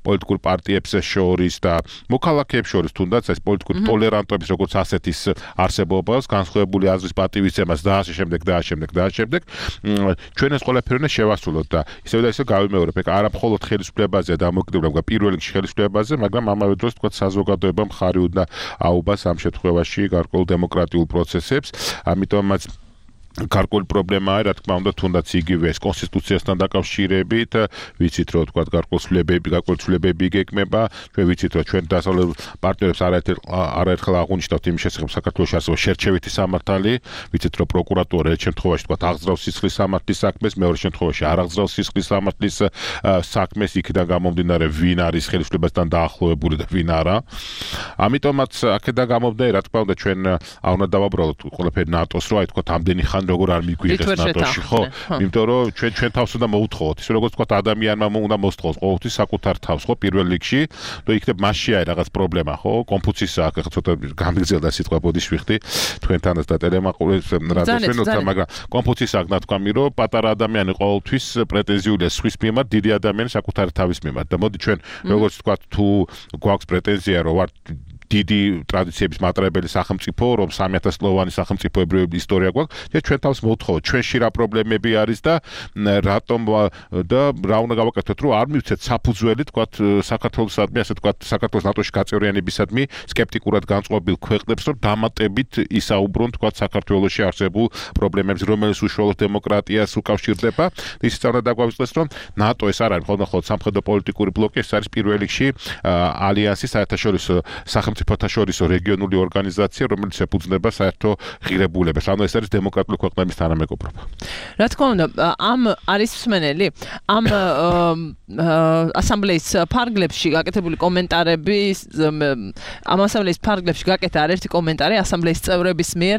პოლიტიკურ პარტიებს შორის და მოქალაქეებს შორის, თუნდაც ეს პოლიტიკური ტოლერანტობის როგორც ასეთის არსებობას, განსხვავებული აზრის პატივისცემას და ასე შემდეგ და ასე შემდეგ და ასე შემდეგ ჩვენ ეს ყველაფერი უნდა შევასრულოთ და ისევ და ისევ გავიმეორებ, არა მხოლოდ ხელისუფლებაზე და დამოუკიდებლობა, პირველ რიგში ხელისუფლებაზე, მაგრამ ამავე დროს თქვა საზოგადოებამ ხარი უნდა აუბას ამ შემთხვევაში გარკვეულ დემოკრატიულ პროცესებს, ამიტომაც გარკვეული პრობლემაა, რა თქმა უნდა, თუნდაც იგივე ეს კონსტიტუციასთან დაკავშირებით, ვიცით რომ თქვა გარკვეული ცვლილებები, გარკვეული ცვლილებები იგეგმება, ჩვენ ვიცით რომ ჩვენ დასავლელ პარტნიორებს არაერთხელ აღვნიშნავთ იმის შესახებ საქართველოს არსებობს შერჩევითი სამართალი, ვიცით რომ პროკურატურა ერთ შემთხვევაში თქვა აღძრავს სისხლის სამართლის საქმეს, მეორე შემთხვევაში არ აღძრავს სისხლის სამართლის საქმეს, იქიდან გამომდინარე ვინ არის ხელისუფლებასთან დაახლოებული და ვინ არა. ამიტომაც აქედან გამომდინარე, რა თქმა უნდა, ჩვენ არ უნდა დავაბრალოთ ყველაფერი ნატოს, რომ აი თქვა ამდენი ხანი როგორ არ მიგვიღეს ნატოში, ხო? იმიტომ რომ ჩვენ ჩვენ თავს უნდა მოვუთხოვოთ, ისე როგორც თქვა ადამიანმა უნდა მოსთხოვოს ყოველთვის საკუთარ თავს, ხო, პირველ რიგში, და იქნებ მასში არის რაღაც პრობლემა, ხო? კონფუციის აქ ახლა ცოტა გამიგზელდა სიტყვა ბოდიშ ვიხდი თქვენთანაც და ტელემაყურებს რადიოს ვენოცა, მაგრამ კონფუციის აქ ნათქვამი, რომ პატარა ადამიანი ყოველთვის პრეტენზიულია სხვის მიმართ, დიდი ადამიანი საკუთარი თავის მიმართ და მოდი ჩვენ როგორც თქვა თუ გვაქვს პრეტენზია რომ ვარ დიდი ტრადიციების მატრებელი სახელმწიფო, რომ სამი ათას წლოვანი სახელმწიფოებრივი ისტორია გვაქვს, და ჩვენ თავს მოვთხოვოთ, ჩვენში რა პრობლემები არის და რატომ და რა უნდა გავაკეთოთ, რომ არ მივცეთ საფუძველი, თქვათ, საქართველოსადმი, ასე თქვათ, საქართველოს ნატოში გაწევრიანებისადმი სკეპტიკურად განწყობილ ქვეყნებს, რომ დამატებით ისაუბრონ, თქვათ, საქართველოში არსებულ პრობლემებს, რომელიც უშუალოდ დემოკრატიას უკავშირდება. ისიც უნდა დაგვავიწყდეს, რომ ნატო ეს არ არის მხოლოდ სამხედრო პოლიტიკური ბლოკი, ეს არის პირველ რიგში ალიანსი საერთაშორისო სახელმწიფოთა შორისო რეგიონული ორგანიზაცია, რომელიც ეფუძნება საერთო ღირებულებას. ანუ ეს არის დემოკრატიული ქვეყნების თანამეგობრობა. რა თქმა უნდა, ამ არის მსმენელი, ამ ასამბლეის ფარგლებში გაკეთებული კომენტარები, ამ ასამბლეის ფარგლებში გაკეთა არაერთი კომენტარი ასამბლეის წევრების მიერ,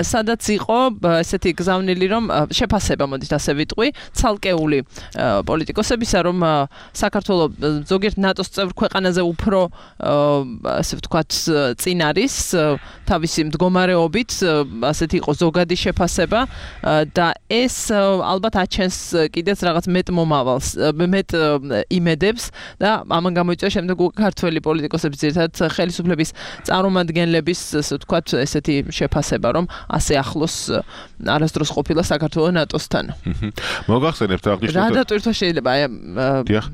სადაც იყო ესეთი გზავნილი, რომ შეფასება, მოდით ასე ვიტყვი, ცალკეული პოლიტიკოსებისა, რომ საქართველოს ზოგიერთ ნატოს წევრ ქვეყანაზე უფრო ასე ვთქვათ, წინ არის თავისი მდგომარეობით, ასეთი იყო ზოგადი შეფასება და ეს ალბათ აჩენს კიდეც რაღაც მეტ მომავალს, მეტ იმედებს და ამან გამოიწვია შემდეგ ქართველი პოლიტიკოსების ძირითადად ხელისუფლების წარმომადგენლების, ასე ვთქვათ, ესეთი შეფასება, რომ ასე ახლოს არასდროს ყოფილა საქართველოს ნატოსთან. მოგახსენებთ აღნიშნოთ. რა დატვირთვა შეიძლება აი დიახ.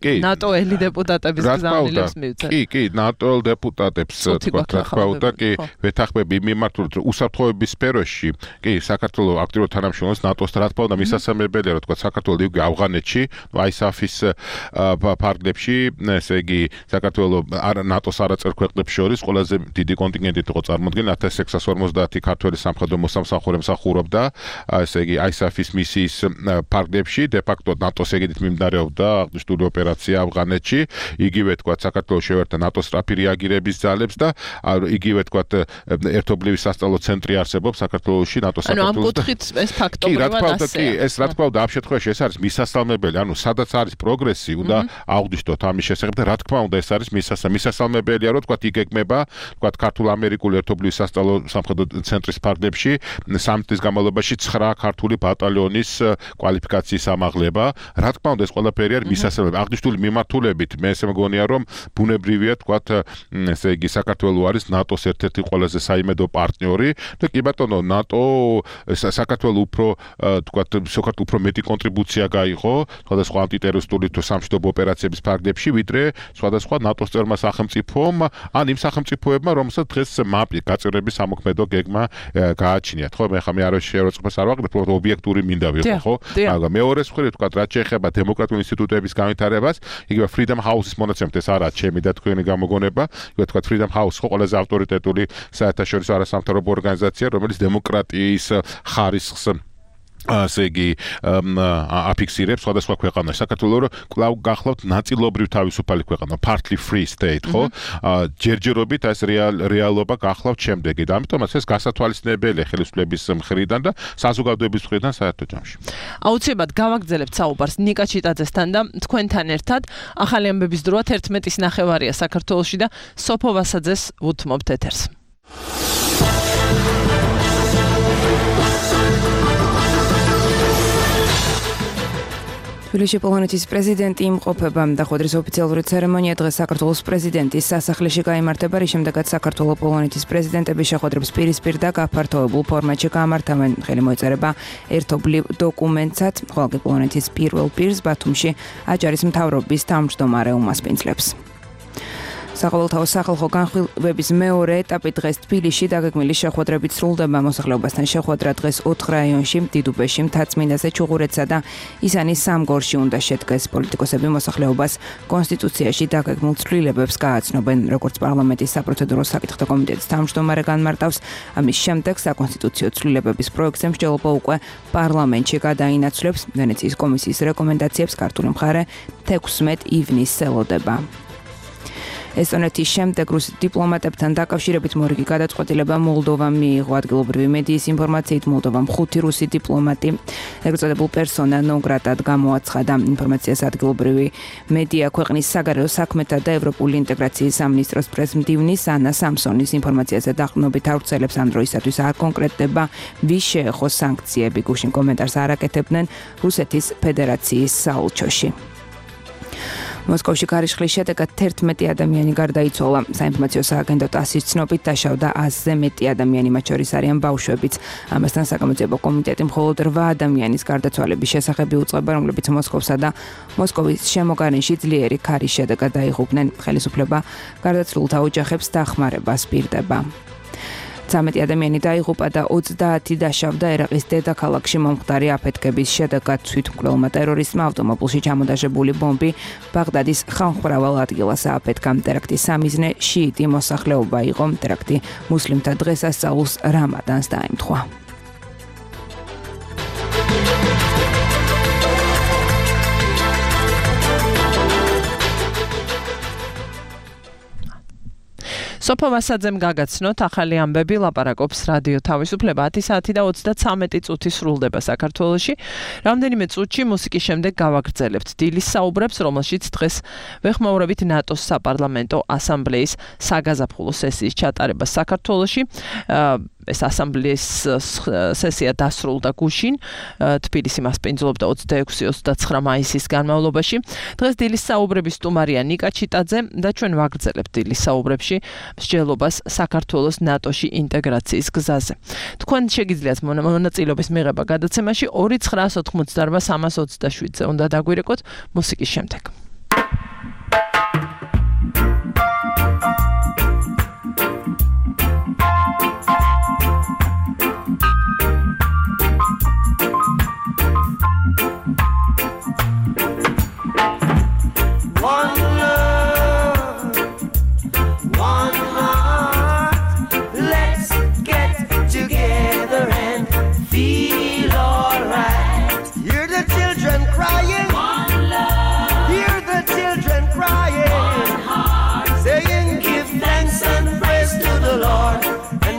კი. ნატოელი დეპუტატების გზავნილებს მივცეთ. კი, კი, ნატოელ დეპუტატებს თქვა, რა თქმა უნდა, კი, ვეთანხმები მიმართულებით უსაფრთხოების სფეროში, კი, საქართველოს აქტიურ თანამშრომლობს ნატოსთან, რა თქმა უნდა, მისასალმებელია, რომ თქვა, საქართველოს იგივე ავღანეთში, აი ეს აფის ფარგლებში, ესე იგი, საქართველოს ნატოს არაწევრ ქვეყნებს შორის ყველაზე დიდი კონტინგენტით იყო წარმოდგენილი ათას ექვსას ორმოცდაათი ქართველი სამხედრო მოსამსახურე მსახურობდა, ესე იგი, აი ეს აფის მისიის ფარგლებში, de facto ნატოს ეგიდით მიმდინარეობდა აღნიშნული ოპერაცია ავღანეთში, იგივე თქვა, საქართველოს შევერთა ნატოს სწრაფი რეაგირების ნატოს ძალებს და იგივე თქვათ ერთობლივი სასწავლო ცენტრი არსებობს საქართველოში ნატოს საქართველოს. ანუ ამ კუთხით ეს ფაქტობრივად ასე. ეს რა თქმა უნდა ამ შემთხვევაში ეს არის მისასალმებელი, ანუ სადაც არის პროგრესი, უნდა აღვნიშნოთ ამის შესახებ და რა თქმა უნდა ეს არის მისასალმებელია, რომ თქვათ იგეგმება, თქვათ ქართულ-ამერიკული ერთობლივი სასწავლო სამხედრო ცენტრის ფარგლებში სამი წლის განმავლობაში ცხრა ქართული ბატალიონის კვალიფიკაციის ამაღლება. რა თქმა უნდა ეს ყველაფერი არის მისასალმებელი. აღნიშნული მიმართულებით მე ესე მგონია რომ ბუნებრივია თქვათ ესე იგი საქართველო არის ნატოს ერთ-ერთი ყველაზე საიმედო პარტნიორი და კი ბატონო ნატო საქართველო უფრო თქვათ სოკარტ უფრო მეტი კონტრიბუცია გაიღო სხვადასხვა ანტიტერორისტული თუ სამშვიდობო ოპერაციების ფარგლებში ვიდრე სხვადასხვა ნატოს წევრმა სახელმწიფომ ან იმ სახელმწიფოებმა რომელსაც დღეს მაპი გაწევრების სამოქმედო გეგმა გააჩნიათ ხო მე ხა მე არ შეეროწყმას არ ვაკეთებ უბრალოდ ობიექტური მინდა ვიყო ხო მაგრამ მეორე მხრივ თქვათ რაც შეეხება დემოკრატიული ინსტიტუტების განვითარებას იგივე Freedom House-ის მონაცემით ეს არა ჩემი და თქვენი გამოგონება იგივე თქვათ Freedom House ხო ყველაზე ავტორიტეტული საერთაშორისო არასამთავრობო ორგანიზაცია რომელიც დემოკრატიის ხარისხს ასე იგი აფიქსირებს სხვადასხვა ქვეყანაში. საქართველოს კვლავ გახლავთ ნაწილობრივ თავისუფალი ქვეყანა, partly free state, ხო? ჯერჯერობით ეს რეალობა გახლავთ შემდეგი. და ამიტომაც ეს გასათვალისწინებელია ხელისუფლების მხრიდან და საზოგადოების მხრიდან საერთო ჯამში. აუცილებლად გავაგრძელებთ საუბარს ნიკა ჩიტაძესთან და თქვენთან ერთად. ახალი ამბების დროა თერთმეტის ნახევარია საქართველოში და სოფო ვასაძეს უთმობთ ეთერს. თბილისში პოლონეთის პრეზიდენტი იმყოფება და ხვედრის ოფიციალური ცერემონია დღეს საქართველოს პრეზიდენტის სასახლეში გაიმართება, რის შემდეგაც საქართველოს პოლონეთის პრეზიდენტების შეხვედრებს პირისპირ და გაფართოებულ ფორმატში გამართავენ. ხელი მოეწერება ერთობლივ დოკუმენტსაც, ხოლო პოლონეთის პირველ პირს ბათუმში აჭარის მთავრობის თავმჯდომარე უმასპინძლებს. საყოველთაო სახალხო განხილვების მეორე ეტაპი დღეს თბილისში დაგეგმილი შეხვედრებით სრულდება. მოსახლეობასთან შეხვედრა დღეს ოთხ რაიონში, დიდუბეში, მთაწმინდაზე, ჩუღურეთსა და ისანის სამგორში უნდა შედგეს. პოლიტიკოსები მოსახლეობას კონსტიტუციაში დაგეგმილ ცვლილებებს გააცნობენ, როგორც პარლამენტის საპროცედურო საკითხთა კომიტეტის თავმჯდომარე განმარტავს. ამის შემდეგ საკონსტიტუციო ცვლილებების პროექტზე მსჯელობა უკვე პარლამენტში გადაინაცვლებს. ვენეციის კომისიის რეკომენდაციებს ქართული მხარე თექვსმეტ ივნისს ელოდება. ესტონეთის შემდეგ რუსი დიპლომატებთან დაკავშირებით მორიგი გადაწყვეტილება მოლდოვამ მიიღო. ადგილობრივი მედიის ინფორმაციით მოლდოვამ ხუთი რუსი დიპლომატი ეგრეთ წოდებულ პერსონა ნონ გრატად გამოაცხადა. ინფორმაციას ადგილობრივი მედია ქვეყნის საგარეო საქმეთა და ევროპული ინტეგრაციის სამინისტროს პრეზიდენტის ანა სამსონის ინფორმაციაზე დაყრდნობით ავრცელებს ამ დროისათვის არ კონკრეტდება ვის შეეხო სანქციები. გუშინ კომენტარს არ აკეთებდნენ რუსეთის ფედერაციის საელჩოში. მოსკოვში გარიშხლის შედეგად თერთმეტი ადამიანი გარდაიცვალა. საინფორმაციო სააგენტო ტასის ცნობით დაშავდა ათზე მეტი ადამიანი, მათ შორის არიან ბავშვებიც. ამასთან საგამოძიებო კომიტეტი მხოლოდ რვა ადამიანის გარდაცვალების შესახები უწყება, რომლებიც მოსკოვსა და მოსკოვის შემოგარენში ძლიერი ქარის შედეგად დაიღუპნენ. ხელისუფლება გარდაცვლილთა ოჯახებს დახმარებას პირდება. ცამეტი ადამიანი დაიღუპა და ოცდაათი დაშავდა ერაყის დედაქალაქში მომხდარი აფეთქების შედეგად. თვითმკვლელმა ტერორისტმა ავტომობილში ჩამოდაშებული ბომბი ბაღდადის ხალხმრავალ ადგილას ააფეთქა. ტერაქტის სამიზნე შიიტი მოსახლეობა იყო. ტერაქტი მუსლიმთა დღესასწაულს რამადანს დაემთხვა. სოფო ვასაძემ გაგაცნოთ ახალი ამბები, ლაპარაკობს რადიო თავისუფლება. ათი საათი და ოცდაცამეტი წუთი სრულდება საქართველოში. რამდენიმე წუთში მუსიკის შემდეგ გავაგრძელებთ დილის საუბრებს, რომელშიც დღეს ვეხმაურებით ნატოს საპარლამენტო ასამბლეის საგაზაფხულო სესიის ჩატარებას საქართველოში. ეს ასამბლეის სესია დასრულდა გუშინ. თბილისი მასპინძლობდა ოცდაექვსი ოცდაცხრა მაისის განმავლობაში. დღეს დილის საუბრების სტუმარია ნიკა ჩიტაძე და ჩვენ ვაგრძელებთ დილის საუბრებში მსჯელობას საქართველოს ნატოში ინტეგრაციის გზაზე. თქვენ შეგიძლიათ მონაწილეობის მიღება გადაცემაში ორი ცხრაას ოთხმოცდაარბა სამას ოცდაშვიდზე. უნდა დაგვირეკოთ მუსიკის შემდეგ. Crying, one love. Hear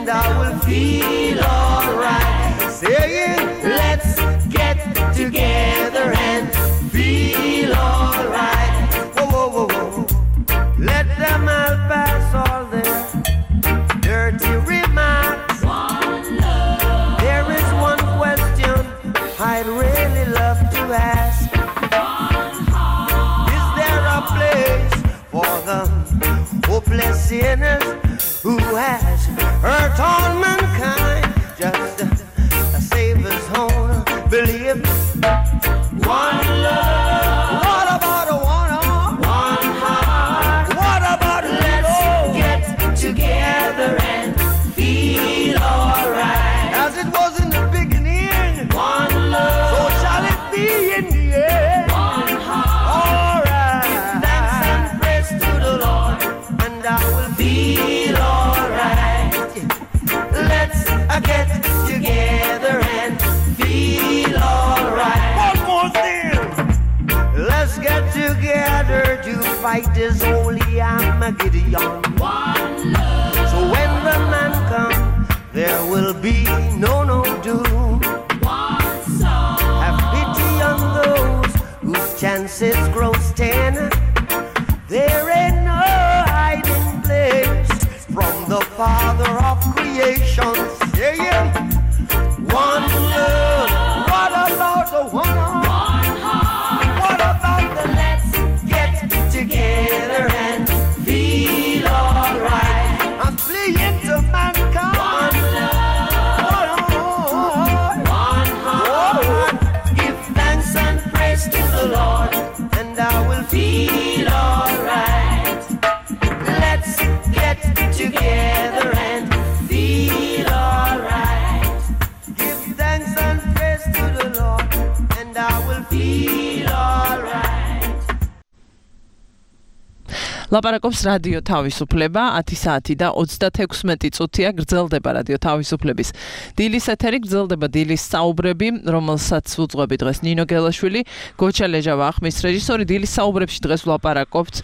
and I will feel alright. Saying, let's get together and feel alright. Whoa, whoa, whoa, whoa. Let them all pass all their dirty remarks. One love. There is one question I'd really love to ask. One heart. Is there a place for the hopeless sinners who has hurt all mankind? Just a, a Savior's own belief. One love. What about a one heart? One heart. What about let's get together and feel alright? As it was in the beginning. One love. So shall it be in the end. One heart. Alright. Give thanks and praise to the Lord, and I will feel alright. Let's uh, get together and feel alright. One more thing. Let's get together to fight this holy Armageddon. One love. So when the man comes, there will be no no doom. One soul. Have pity on those whose chances grow ten. There ain't no hiding place from the Father of creation. Saying, one love. What about the one heart? One heart. What about the let's get together and feel alright? I'm fleeing to mankind. One love. One heart. One heart. Give thanks and praise to the Lord, and I will feel alright. Let's get together and feel alright. Give thanks and praise to the Lord, and I will feel alright. ლაპარაკობს რადიო თავისუფლება, ათი საათი და ოცდათექვსმეტი წუთია გრძელდება რადიო თავისუფლების დილის ეთერი, გრძელდება დილის საუბრები, რომელსაც უძღვები დღეს ნინო გელაშვილი, გოჩა ლეჟავა ახმის რეჟისორი. დილის საუბრებში დღეს ვლაპარაკობთ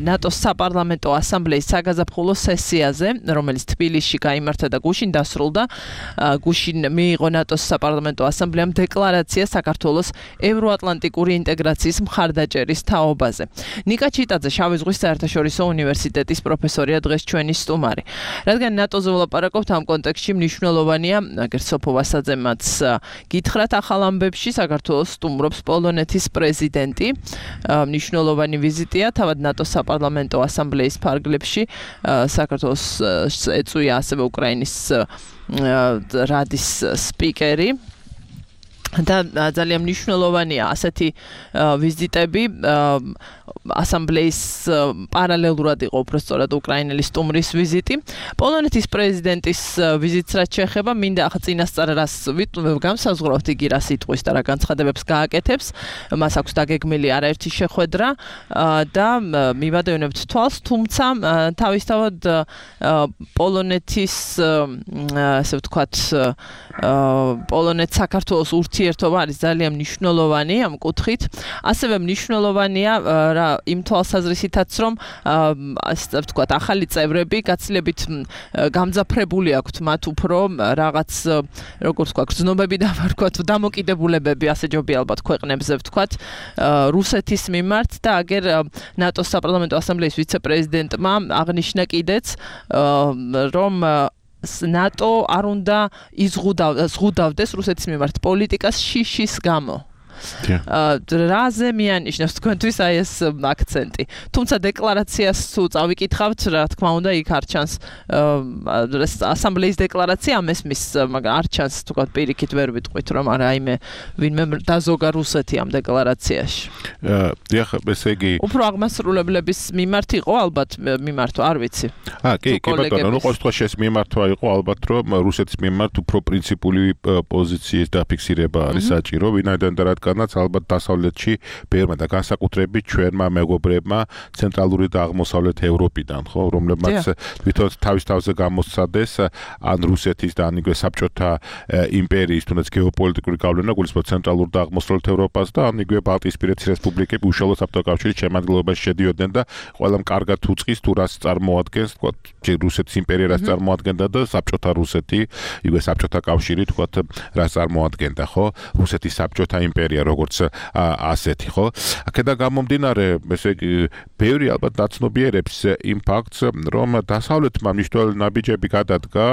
ნატოს საპარლამენტო ასამბლეის საგაზაფხულო სესიაზე, რომელიც თბილისში გაიმართა და გუშინ დასრულდა. გუშინ მიიღო ნატოს საპარლამენტო ასამბლეამ დეკლარაცია საქართველოს ევროატლანტიკური ინტეგრაციის მხარდაჭერის თაობაზე. ნიკა ჩიტაძე, შავი ზღვის საერთაშორისო უნივერსიტეტის პროფესორია დღეს ჩვენი სტუმარი. რადგან ნატოზე ვლაპარაკობთ, ამ კონტექსტში მნიშვნელოვანია, აგერ სოფო ვასაძემაც გითხრათ ახალ ამბებში, საქართველოს სტუმრობს პოლონეთის პრეზიდენტი. მნიშვნელოვანი ვიზიტია, თავად ნატოს საპარლამენტო ასამბლეის ფარგლებში საქართველოს ეწვია ასევე უკრაინის რადის სპიკერი. და ძალიან მნიშვნელოვანია ასეთი ვიზიტები. ასამბლეის პარალელურად იყო უბრალოდ უკრაინელი სტუმრის ვიზიტი. პოლონეთის პრეზიდენტის ვიზიტს რაც შეეხება, მინდა ახლა წინასწარ რას განსაზღვრავთ, იგი რა სიტყვის და რა განცხადებებს გააკეთებს. მას აქვს დაგეგმილი არაერთი შეხვედრა და მივადევნებთ თვალს, თუმცა თავისთავად პოლონეთის ასე ვთქვათ პოლონეთ საქართველოს ურთიერთობა არის ძალიან მნიშვნელოვანი ამ კუთხით. ასევე მნიშვნელოვანია რა იმ თვალსაზრისითაც, რომ ასე ვთქვათ ახალი წევრები გაცილებით გამძაფრებული აქვთ მათ უფრო რაღაც როგორ ვთქვათ გრძნობები და ვთქვათ დამოკიდებულებები ასე ჯობია ალბათ ქვეყნებზე ვთქვათ რუსეთის მიმართ და აგერ ნატოს საპარლამენტო ასამბლეის ვიცე-პრეზიდენტმა აღნიშნა კიდეც რომ ნატო არ უნდა იზღუდავდეს რუსეთის მიმართ პოლიტიკას შიშის გამო. რაზე მიანიშნებს თქვენთვის აი ეს აქცენტი. თუმცა დეკლარაციას თუ წავიკითხავთ, რა თქმა უნდა, იქ არ ჩანს ასამბლეის დეკლარაცია მესმის, მაგრამ არ ჩანს თქვათ პირიქით ვერ ვიტყვით, რომ არა იმე ვინმე დაზოგა რუსეთი ამ დეკლარაციაში. დიახ, ესე იგი უფრო აღმასრულებლების მიმართ იყო ალბათ მიმართვა, არ ვიცი. აა, კი, კი ბატონო, ნუ ყოველ შემთხვევაში ეს მიმართვა იყო ალბათ, რომ რუსეთის მიმართ უფრო პრინციპული პოზიციის დაფიქსირება არის საჭირო, ვინაიდან და რა რადგანაც ალბათ დასავლეთში ბერმა და განსაკუთრებით ჩვენმა მეგობრებმა ცენტრალური და აღმოსავლეთ ევროპიდან, ხო, რომლებმაც თვითონ თავის თავზე გამოსცადეს ან რუსეთის და ან იგივე საბჭოთა იმპერიის თუნდაც გეოპოლიტიკური გავლენა გულისხმობს ცენტრალურ და აღმოსავლეთ ევროპას და ან იგივე ბალტიისპირეთის რესპუბლიკები უშუალოდ საბჭოთა კავშირის შემადგენლობაში შედიოდნენ და ყველამ კარგად უწყის თუ რას წარმოადგენს, თქვა რუსეთის იმპერია რას წარმოადგენდა და საბჭოთა რუსეთი, იგივე საბჭოთა კავშირი თქვა რას წარმოადგენდა, ხო? რუსეთის საბჭოთა იმპერია როგორც ასეთი, ხო? აქედან გამომდინარე, ესე იგი, ბევრი ალბათ დაცნობიერებს იმ ფაქტს, რომ დასავლეთმა მნიშვნელოვანი ნაბიჯები გადადგა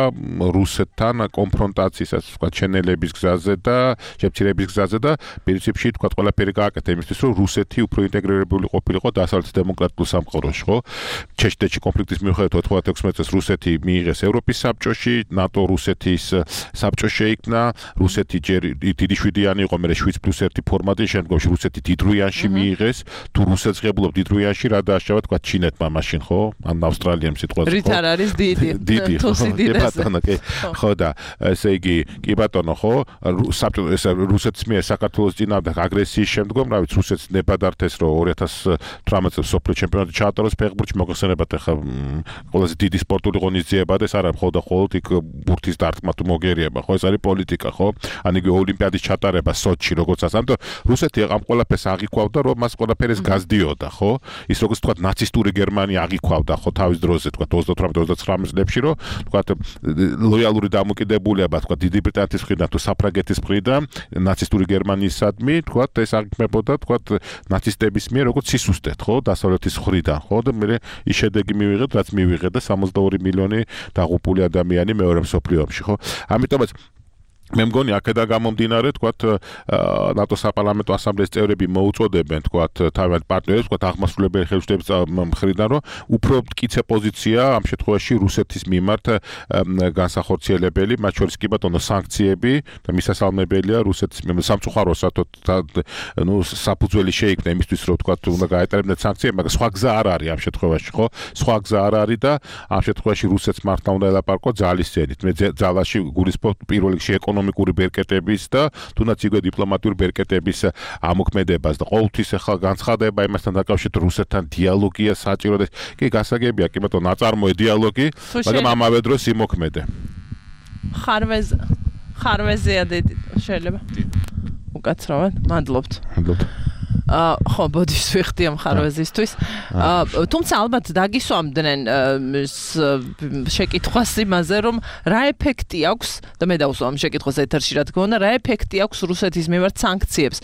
რუსეთთან კონფრონტაციის, თქვა, ჩენელების გზაზე და შემცირების გზაზე და პრინციპში თქვა ყველაფერი გააკეთა იმისთვის, რომ რუსეთი უფრო ინტეგრირებული ყოფილიყო დასავლეთის დემოკრატიულ სამყაროში, ხო? ჩეჩნეთში კონფლიქტის მიუხედავად ოთხმოცდაექვსი წელს რუსეთი მიიღეს ევროპის საბჭოში, ნატო რუსეთის საბჭოში შეიქმნა, რუსეთი ჯერ დიდი შვიდიანი იყო, მერე შვიდ პლუს ერთი ფორმატი, შემდგომში რუსეთი დიდრუიანში მიიღეს, თუ რუსეთს ღებულობ დიდრუიანში რა დააშავა, თქვა ჩინეთმა მაშინ, ხო? ან ავსტრალიამ სიტყვაზე, ხო? რით არ არის დიდი. დიდი, თუ სიდიდეს. ხო და ესე იგი, კი ბატონო, ხო? ეს რუსეთის მიერ საქართველოს წინააღმდეგ აგრესიის შემდგომ, რა ვიცი, რუსეთს ნებადართეს, რომ ორი ათას თვრამეტ წელს სოფლიო ჩემპიონატი ჩაატაროს ფეხბურთში, მოგხსენებათ ახლა ყველაზე დიდი სპორტული ღონისძიება და ეს არა მხოლოდ და მხოლოდ იქ ბურთის დარტყმა თუ მოგერიება, ხო? ეს არის პოლიტიკა, ხო? ან იგივე ოლიმპიადის ჩატარება სოჩში, როგორც ასე. ამიტომ რუსეთი ამ ყველაფერს აღიქვავდა, რომ მას ყველაფერს გაზდიოდა, ხო? ის როგორც თქვა ნაცისტური გერმანია აღიქვავდა, ხო, თავის დროზე, თქვა ოცდათვრამეტ ოცდაცხრამეტ წლებში, რომ თქვა ლოიალური დამოკიდებულება, თქვა დიდი ბრიტანეთის მხრიდან თუ საფრანგეთის მხრიდან ნაცისტური გერმანიისადმი, თქვა ეს აღიქმებოდა, თქვა ნაცისტების მიერ როგორც სისუსტეთ, ხო, დასავლეთის მხრიდან, ხო, და მე ის შედეგი მივიღეთ, რაც მივიღეთ და სამოცდაორი მილიონი დაღუპული ადამიანი მეორე მსოფლიო ომში, ხო? ამიტომაც მე მგონი აქედან გამომდინარე, თქვათ, ნატო საპარლამენტო ასამბლეის წევრები მოუწოდებენ, თქვათ, თავიანთ პარტნიორებს, თქვათ, აღმასრულებელი ხელისუფლების მხრიდან, რომ უფრო მტკიცე პოზიცია ამ შემთხვევაში რუსეთის მიმართ განსახორციელებელი, მათ შორის კი ბატონო სანქციები და მისასალმებელია რუსეთის მიმართ სამწუხაროსა, ნუ საფუძველი შეიქმნა იმისთვის, რომ თქვათ, უნდა გაეტარებინათ სანქციები, მაგრამ სხვა გზა არ არის ამ შემთხვევაში, ხო? სხვა გზა არ არის და ამ შემთხვევაში რუსეთს მართლა უნდა ელაპარაკო ძალის წინით. მე ძალაში გულისხმობ პირველ რიგში ეკონომიკური ბერკეტების და თუნდაც იგივე დიპლომატიური ბერკეტების ამოქმედებას და ყოველთვის ახლა განცხადება იმასთან დაკავშირებით რუსეთთან დიალოგია საჭირო და კი გასაგებია, კი ბატონო, აწარმოე დიალოგი, მაგრამ ამავე დროს იმოქმედე. ხარვეზ ხარვეზია დიდი შეიძლება. უკაცრავად, მადლობთ. მადლობთ. აა ხო, ბოდიშს ვიხდი ამ ხარვეზისთვის. აა თუმცა ალბათ დაგისვამდნენ შეკითხვას იმაზე, რომ რა ეფექტი აქვს და მე დავუსვამ შეკითხვას ეთერში, რა თქმა უნდა, რა ეფექტი აქვს რუსეთის მიმართ სანქციებს.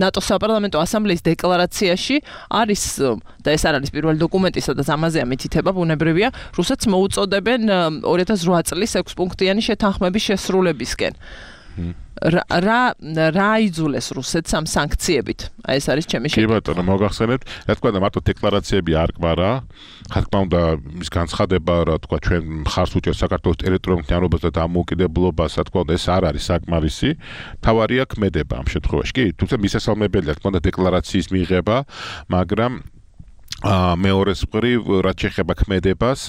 ნატო საპარლამენტო ასამბლეის დეკლარაციაში არის და ეს არ არის პირველი დოკუმენტი, სადაც ამაზეა მითითება, ბუნებრივია, რუსეთს მოუწოდებენ ორი ათას რვა წლის ექვს პუნქტიანი შეთანხმების შესრულებისკენ. რა რა აიძულეს რუსეთს ამ სანქციებით? აი ეს არის ჩემი შეკითხვა. კი ბატონო, მოგახსენებთ, რა თქმა უნდა, მარტო დეკლარაციები არ კვარა, რა თქმა უნდა, ის განცხადება, რა თქვა, ჩვენ მხარს უჭერს საქართველოს ტერიტორიულ მთლიანობას და დამოუკიდებლობას, რა თქმა უნდა, ეს არ არის საკმარისი. თავარია ქმედება ამ შემთხვევაში. კი, თუმცა მისასალმებელია, რა თქმა უნდა, დეკლარაციის მიღება, მაგრამ მეორეს მხრივ, რაც შეეხება ქმედებას,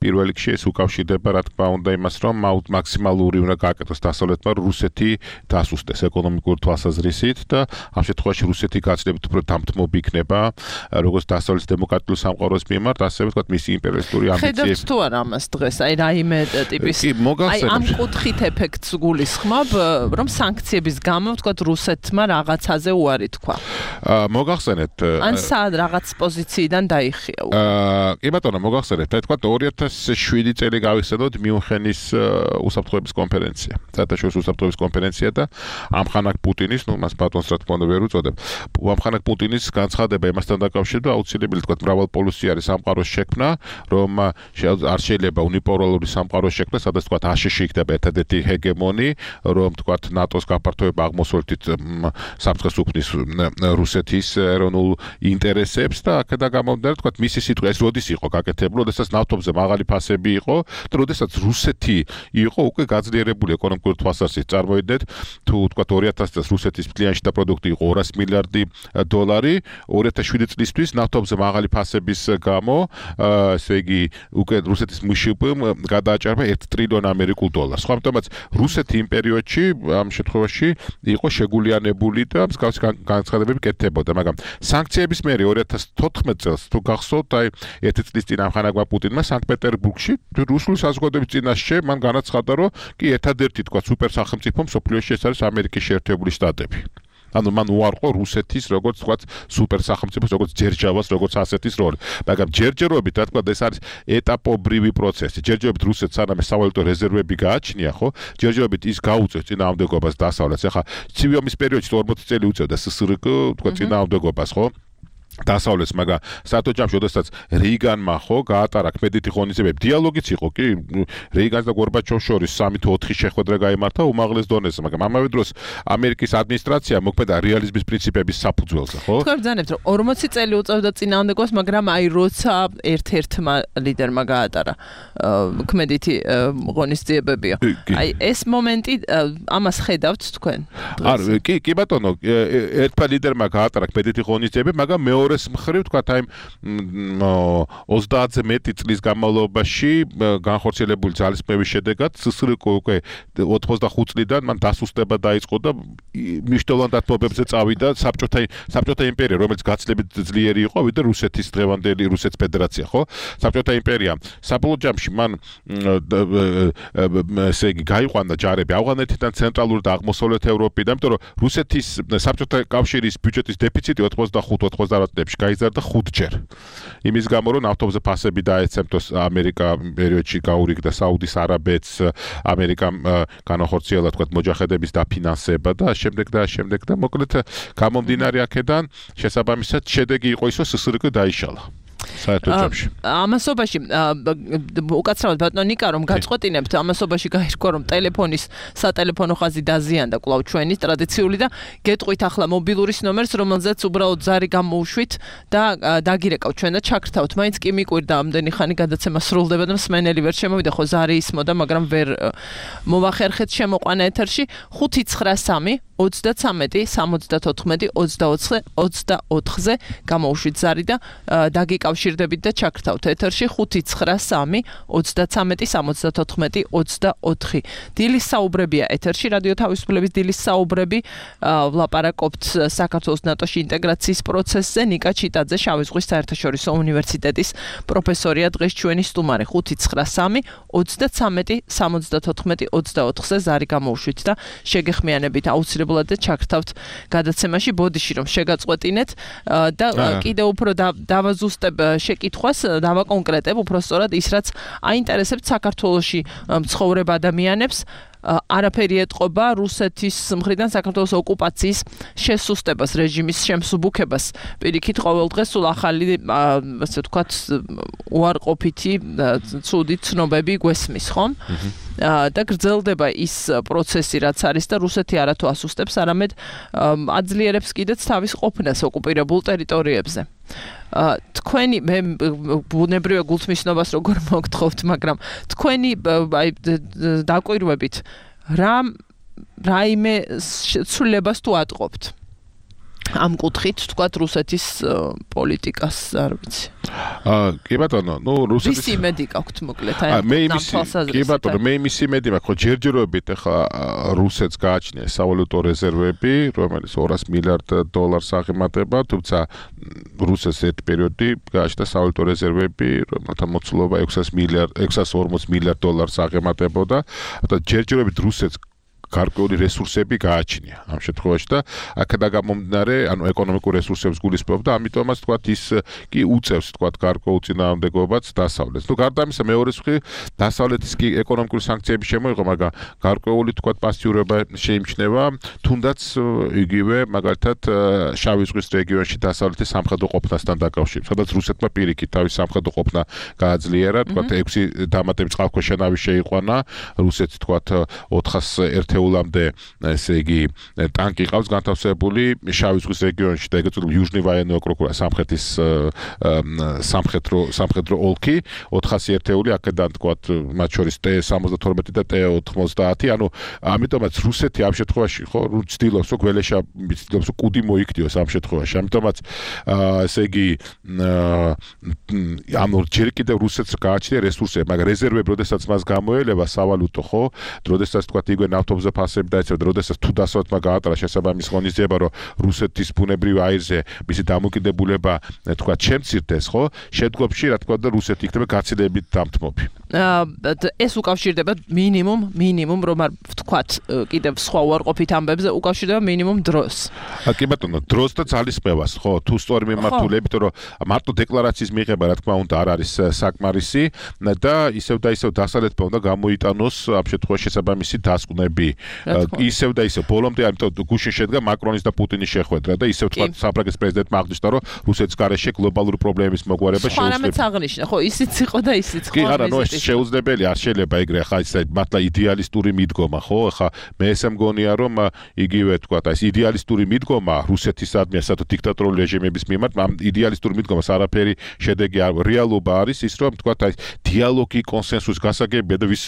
პირველ რიგში ეს უკავშირდება, რა თქმა უნდა, იმას, რომ მაქსიმალური უნდა გააკეთოს დასავლეთმა, რომ რუსეთი დასუსტეს ეკონომიკური თვალსაზრისით და ამ შემთხვევაში რუსეთი გაცილებით უფრო დამთმობი იქნება, როგორც დასავლეთის დემოკრატიულ სამყაროს მიმართ, ასევე თქვა მისი იმპერიალისტური ამბიციები. ხედავთ თუ არა ამას დღეს, აი რაიმე ტიპის აი ამ კუთხით ეფექტს გულისხმობ, რომ სანქციების გამო თქვა რუსეთმა რაღაცაზე უარი თქვა. მოგახსენეთ. ან სად რაღაც პოზიციიდან დაიხია. აა, კი ბატონო, მოგახსენებთ, თქვა ორი ათას შვიდი წელი გავიხსენოთ მიუნხენის უსაფრთხოების კონფერენცია. საერთაშორისო უსაფრთხოების კონფერენცია და ამხანაგ პუტინის, ნუ მას ბატონს რა თქმა უნდა ვერ უწოდებ. ამხანაგ პუტინის განცხადება იმასთან დაკავშირებით, აუცილებელი თქვა მრავალპოლუსიანი სამყაროს შექმნა, რომ არ შეიძლება უნიპოლარული სამყაროს შექმნა, სადაც თქვა აშშ იქნება ერთადერთი ჰეგემონი, რომ თქვა ნატოს გაფართოება აღმოსავლეთით საფრთხეს უქმნის რუსეთის ეროვნულ ინტერესებს და აქედან გამომდინარე, თქვა მისი სიტყვა ეს როდის იყო გაკეთებული, როდესაც ნავთობზე მაღალი ფასები იყო და როდესაც რუსეთი იყო უკვე გაძლიერებული ეკონომიკური თვალსაზრისით. წარმოიდგინეთ, თუ თქვა ორი ათასი წელს რუსეთის მთლიანი შიდა პროდუქტი იყო ორასი მილიარდი დოლარი, ორი ათას შვიდი წლისთვის ნავთობზე მაღალი ფასების გამო, ესე იგი, უკვე რუსეთის მშპ-მ გადააჭარბა ერთ ტრილიონ ამერიკულ დოლარს. ხო, ამიტომაც რუსეთი იმ პერიოდში ამ შემთხვევაში იყო შეგულიანებული და მსგავსი განცხადებები კეთდებოდა, მაგრამ სანქციების მერე ორი ათას თოთხმეტ წელს თუ გახსოვთ, აი ერთი წლის წინ ამხანაგმა პუტინმა სანქტ-პეტერბურგში რუსული საზოგადოების წინაშე მან განაცხადა, რომ კი ერთადერთი თქვა სუპერ სახელმწიფო მსოფლიოში ეს არის ამერიკის შეერთებული შტატები. ანუ მან უარყო რუსეთის როგორც თქვა სუპერ სახელმწიფოს როგორც ჯერჯავას როგორც ასეთის როლი. მაგრამ ჯერჯერობით რა თქვა ეს არის ეტაპობრივი პროცესი. ჯერჯერობით რუსეთს სანამ სავალუტო რეზერვები გააჩნია, ხო? ჯერჯერობით ის გაუწევს წინააღმდეგობას დასავლეთს. ახლა ცივი ომის პერიოდში ორმოცი წელი უწევდა სსრკ თქვა წინააღმდეგობას, ხო? დასავლეთს, მაგრამ საერთო ჯამში, როდესაც რეიგანმა ხო გაატარა ქმედითი ღონისძიებები, დიალოგიც იყო კი რეიგანს და გორბაჩოვს შორის სამი თუ ოთხი შეხვედრა გაიმართა უმაღლეს დონეზე, მაგრამ ამავე დროს ამერიკის ადმინისტრაცია მოქმედა რეალიზმის პრინციპების საფუძველზე, ხო? თქვენ ბრძანებთ, რომ ორმოცი წელი უწევდა წინააღმდეგობას, მაგრამ აი როცა ერთ-ერთმა ლიდერმა გაატარა ქმედითი ღონისძიებებია. აი ეს მომენტი ამას ხედავთ თქვენ? არ კი კი ბატონო, ერთმა ლიდერმა გაატარა ქმედითი ღონისძიებები, მაგრამ მეორეს მხრივ თქვა აი ოცდაათზე მეტი წლის განმავლობაში განხორციელებული ძალისხმევის შედეგად სსრკ უკვე ოთხმოცდახუთ წლიდან მან დასუსტება დაიწყო და მნიშვნელოვან დათმობებზე წავიდა საბჭოთა საბჭოთა იმპერია, რომელიც გაცილებით ძლიერი იყო ვიდრე რუსეთის დღევანდელი რუსეთის ფედერაცია, ხო? საბჭოთა იმპერია საბოლოო ჯამში მან ესე იგი გაიყვანა ჯარები ავღანეთიდან ცენტრალური და აღმოსავლეთ ევროპიდან, იმიტომ რომ რუსეთის საბჭოთა კავშირის ბიუჯეტის დეფიციტი ოთხმოცდახუთ ოცდაათი წლებში გაიზარდა ხუთჯერ. იმის გამო რომ ნავთობზე ფასები დაეცემთო ამერიკა პერიოდში გაურიგდა საუდის არაბეთს, ამერიკამ განახორციელა თქვა მოჯაჰედების დაფინანსება და შემდეგ და შემდეგ და მოკლედ გამომდინარე აქედან შესაბამისად შედეგი იყო ის რომ სსრკ დაიშალა. საერთო ჯამში. ამასობაში უკაცრავად ბატონო ნიკა რომ გაწყვეტინებთ, ამასობაში გაირკვა რომ ტელეფონის სატელეფონო ხაზი დაზიანდა კვლავ ჩვენი ტრადიციული და გეტყვით ახლა მობილურის ნომერს, რომელზეც უბრალოდ ზარი გამოუშვით და დაგირეკავთ ჩვენ და ჩაქრთავთ. მაინც კი მიკვირდა ამდენი ხანი გადაცემა სრულდება და მსმენელი ვერ შემოვიდა, ხო ზარი ისმოდა, მაგრამ ვერ მოვახერხეთ შემოყვანა ეთერში. ხუთი ცხრა სამი ოცდათრამეტი სამოცდათოთხმეტი ოცდაოთხზე გამოუშვით ზარი და დაგიკავშირდებით და ჩაქრთავთ ეთერში ხუთი ცხრა სამი ოცდათრამეტი სამოცდათოთხმეტი ოცდაოთხი. დილის საუბრებია ეთერში, რადიო თავისუფლების დილის საუბრები, ვლაპარაკობთ საქართველოს ნატოში ინტეგრაციის პროცესზე. ნიკა ჩიტაძე, შავი ზღვის საერთაშორისო უნივერსიტეტის პროფესორია, დღეს ჩვენი სტუმარი. ხუთი ცხრა სამი ოცდათრამეტი სამოცდათოთხმეტი ოცდაოთხზე ზარი გამოუშვით და შეგეხმიანებით აუცილებლად და ჩაქრთავთ გადაცემაში. ბოდიში რომ შეგაწყვეტინეთ და კიდევ უფრო დავაზუსტებ შეკითხვას, დავაკონკრეტებ უფრო სწორად ის რაც აინტერესებთ საქართველოში მცხოვრებ ადამიანებს. არაფერი ეტყობა რუსეთის მხრიდან საქართველოს ოკუპაციის შესუსტებას, რეჟიმის შემსუბუქებას. პირიქით ყოველ დღეს სულ ახალი, ასე ვთქვათ, უარყოფითი ცუდი ცნობები გვესმის, ხომ? და გრძელდება ის პროცესი, რაც არის და რუსეთი არათუ ასუსტებს, არამედ აძლიერებს კიდეც თავის ყოფნას ოკუპირებულ ტერიტორიებზე. თქვენი მე ბუნებრივია გულთმისნობას როგორ მოგთხოვთ, მაგრამ თქვენი აი დაკვირვებით რა რაიმე ცვლილებას თუ ატყობთ ამ კუთხით, თქვათ რუსეთის პოლიტიკას, არ ვიცი. აა კი ბატონო, ნუ რუსეთის ისი იმედი გაქვთ მოკლედ აი მე იმისი კი ბატონო, მე იმისი იმედი მაქვს, ხო ჯერჯერობით ახლა რუსეთს გააჩნია სავალუტო რეზერვები, რომელიც ორასი მილიარდ დოლარს აღემატება, თუმცა რუსეთს ერთ პერიოდი გააჩნდა სავალუტო რეზერვები, რომელთა მოცულობა ექვსასი მილიარდ ექვსასი ორმოცი მილიარდ დოლარს აღემატებოდა და ჯერჯერობით რუსეთს გარკვეული რესურსები გააჩნია ამ შემთხვევაში და აქედან გამომდინარე, ანუ ეკონომიკურ რესურსებს გულისხმობ და ამიტომაც თქვათ ის კი უწევს თქვათ გარკვეულ წინააღმდეგობაც დასავლეთს. ნუ გარდა ამისა მეორე მხრივ დასავლეთის კი ეკონომიკური სანქციები შემოიღო, მაგრამ გარკვეული თქვათ პასიურობა შეიმჩნევა, თუნდაც იგივე მაგალითად შავი ზღვის რეგიონში დასავლეთის სამხედრო ყოფნასთან დაკავშირებით, სადაც რუსეთმა პირიქით თავის სამხედრო ყოფნა გააძლიერა, თქვათ ექვსი დამატებით წყალქვეშა ნავი შეიყვანა, რუსეთს თქვათ ოთხას ერთ ერთეულამდე ესე იგი ტანკი ყავს განთავსებული შავი ზღვის რეგიონში და ეგრეთ წოდებული იუჟნი ვაიენნოი ოკრუგი სამხეთის სამხედრო სამხედრო ოლქი ოთხასი ერთეული აქედან თქვათ მათ შორის ტე სამოცდათორმეტი და ტე ოთხმოცდაათი ანუ ამიტომაც რუსეთი ამ შემთხვევაში ხო ცდილობს რომ გველეშა ცდილობს რომ კუდი მოიქდიოს ამ შემთხვევაში ამიტომაც ესე იგი ანუ ჯერ კიდევ რუსეთს გააჩნია რესურსები მაგრამ რეზერვები როდესაც მას გამოელება სავალუტო ხო როდესაც თქვათ იგვე ნავთობზე ფასები დაეცემა როდესაც თუ დასავლეთმა გაატარა შესაბამის ღონისძიება რომ რუსეთის ბუნებრივ აირზე მისი დამოკიდებულება თქვათ შემცირდეს ხო შედგომში რა თქვა და რუსეთი იქნება გაცილებით დამთმობი ეს უკავშირდება მინიმუმ მინიმუმ რომ არ ვთქვათ კიდევ სხვა უარყოფით ამბებზე უკავშირდება მინიმუმ დროს კი ბატონო დროს და ძალისხმევას ხო თუ სწორი მიმართულებით რომ მარტო დეკლარაციის მიღება რა თქმა უნდა არ არის საკმარისი და ისევ და ისევ დასავლეთმა უნდა გამოიტანოს ამ შემთხვევაში შესაბამისი დასკვნები ისევ და ისევ ბოლომდე ამიტომ გუშინ შედგა მაკრონის და პუტინის შეხვედრა და ისევ თქვა საფრანგეთის პრეზიდენტმა აღნიშნა რომ რუსეთის გარეშე გლობალური პრობლემების მოგვარება შეუძლებელი სხვა აღნიშნა ხო ისიც იყო და ისიც ხო არა ნუ ეს შეუძლებელი არ შეიძლება ეგრე ხა ისე მართლა იდეალისტური მიდგომა ხო ხა მე ესე მგონია რომ იგივე თქვა ეს იდეალისტური მიდგომა რუსეთისადმი ასათო დიქტატორული რეჟიმების მიმართ ამ იდეალისტური მიდგომას არაფერი შედეგი არ რეალობა არის ის რომ თქვა ეს დიალოგი კონსენსუსი გასაგებია და ვის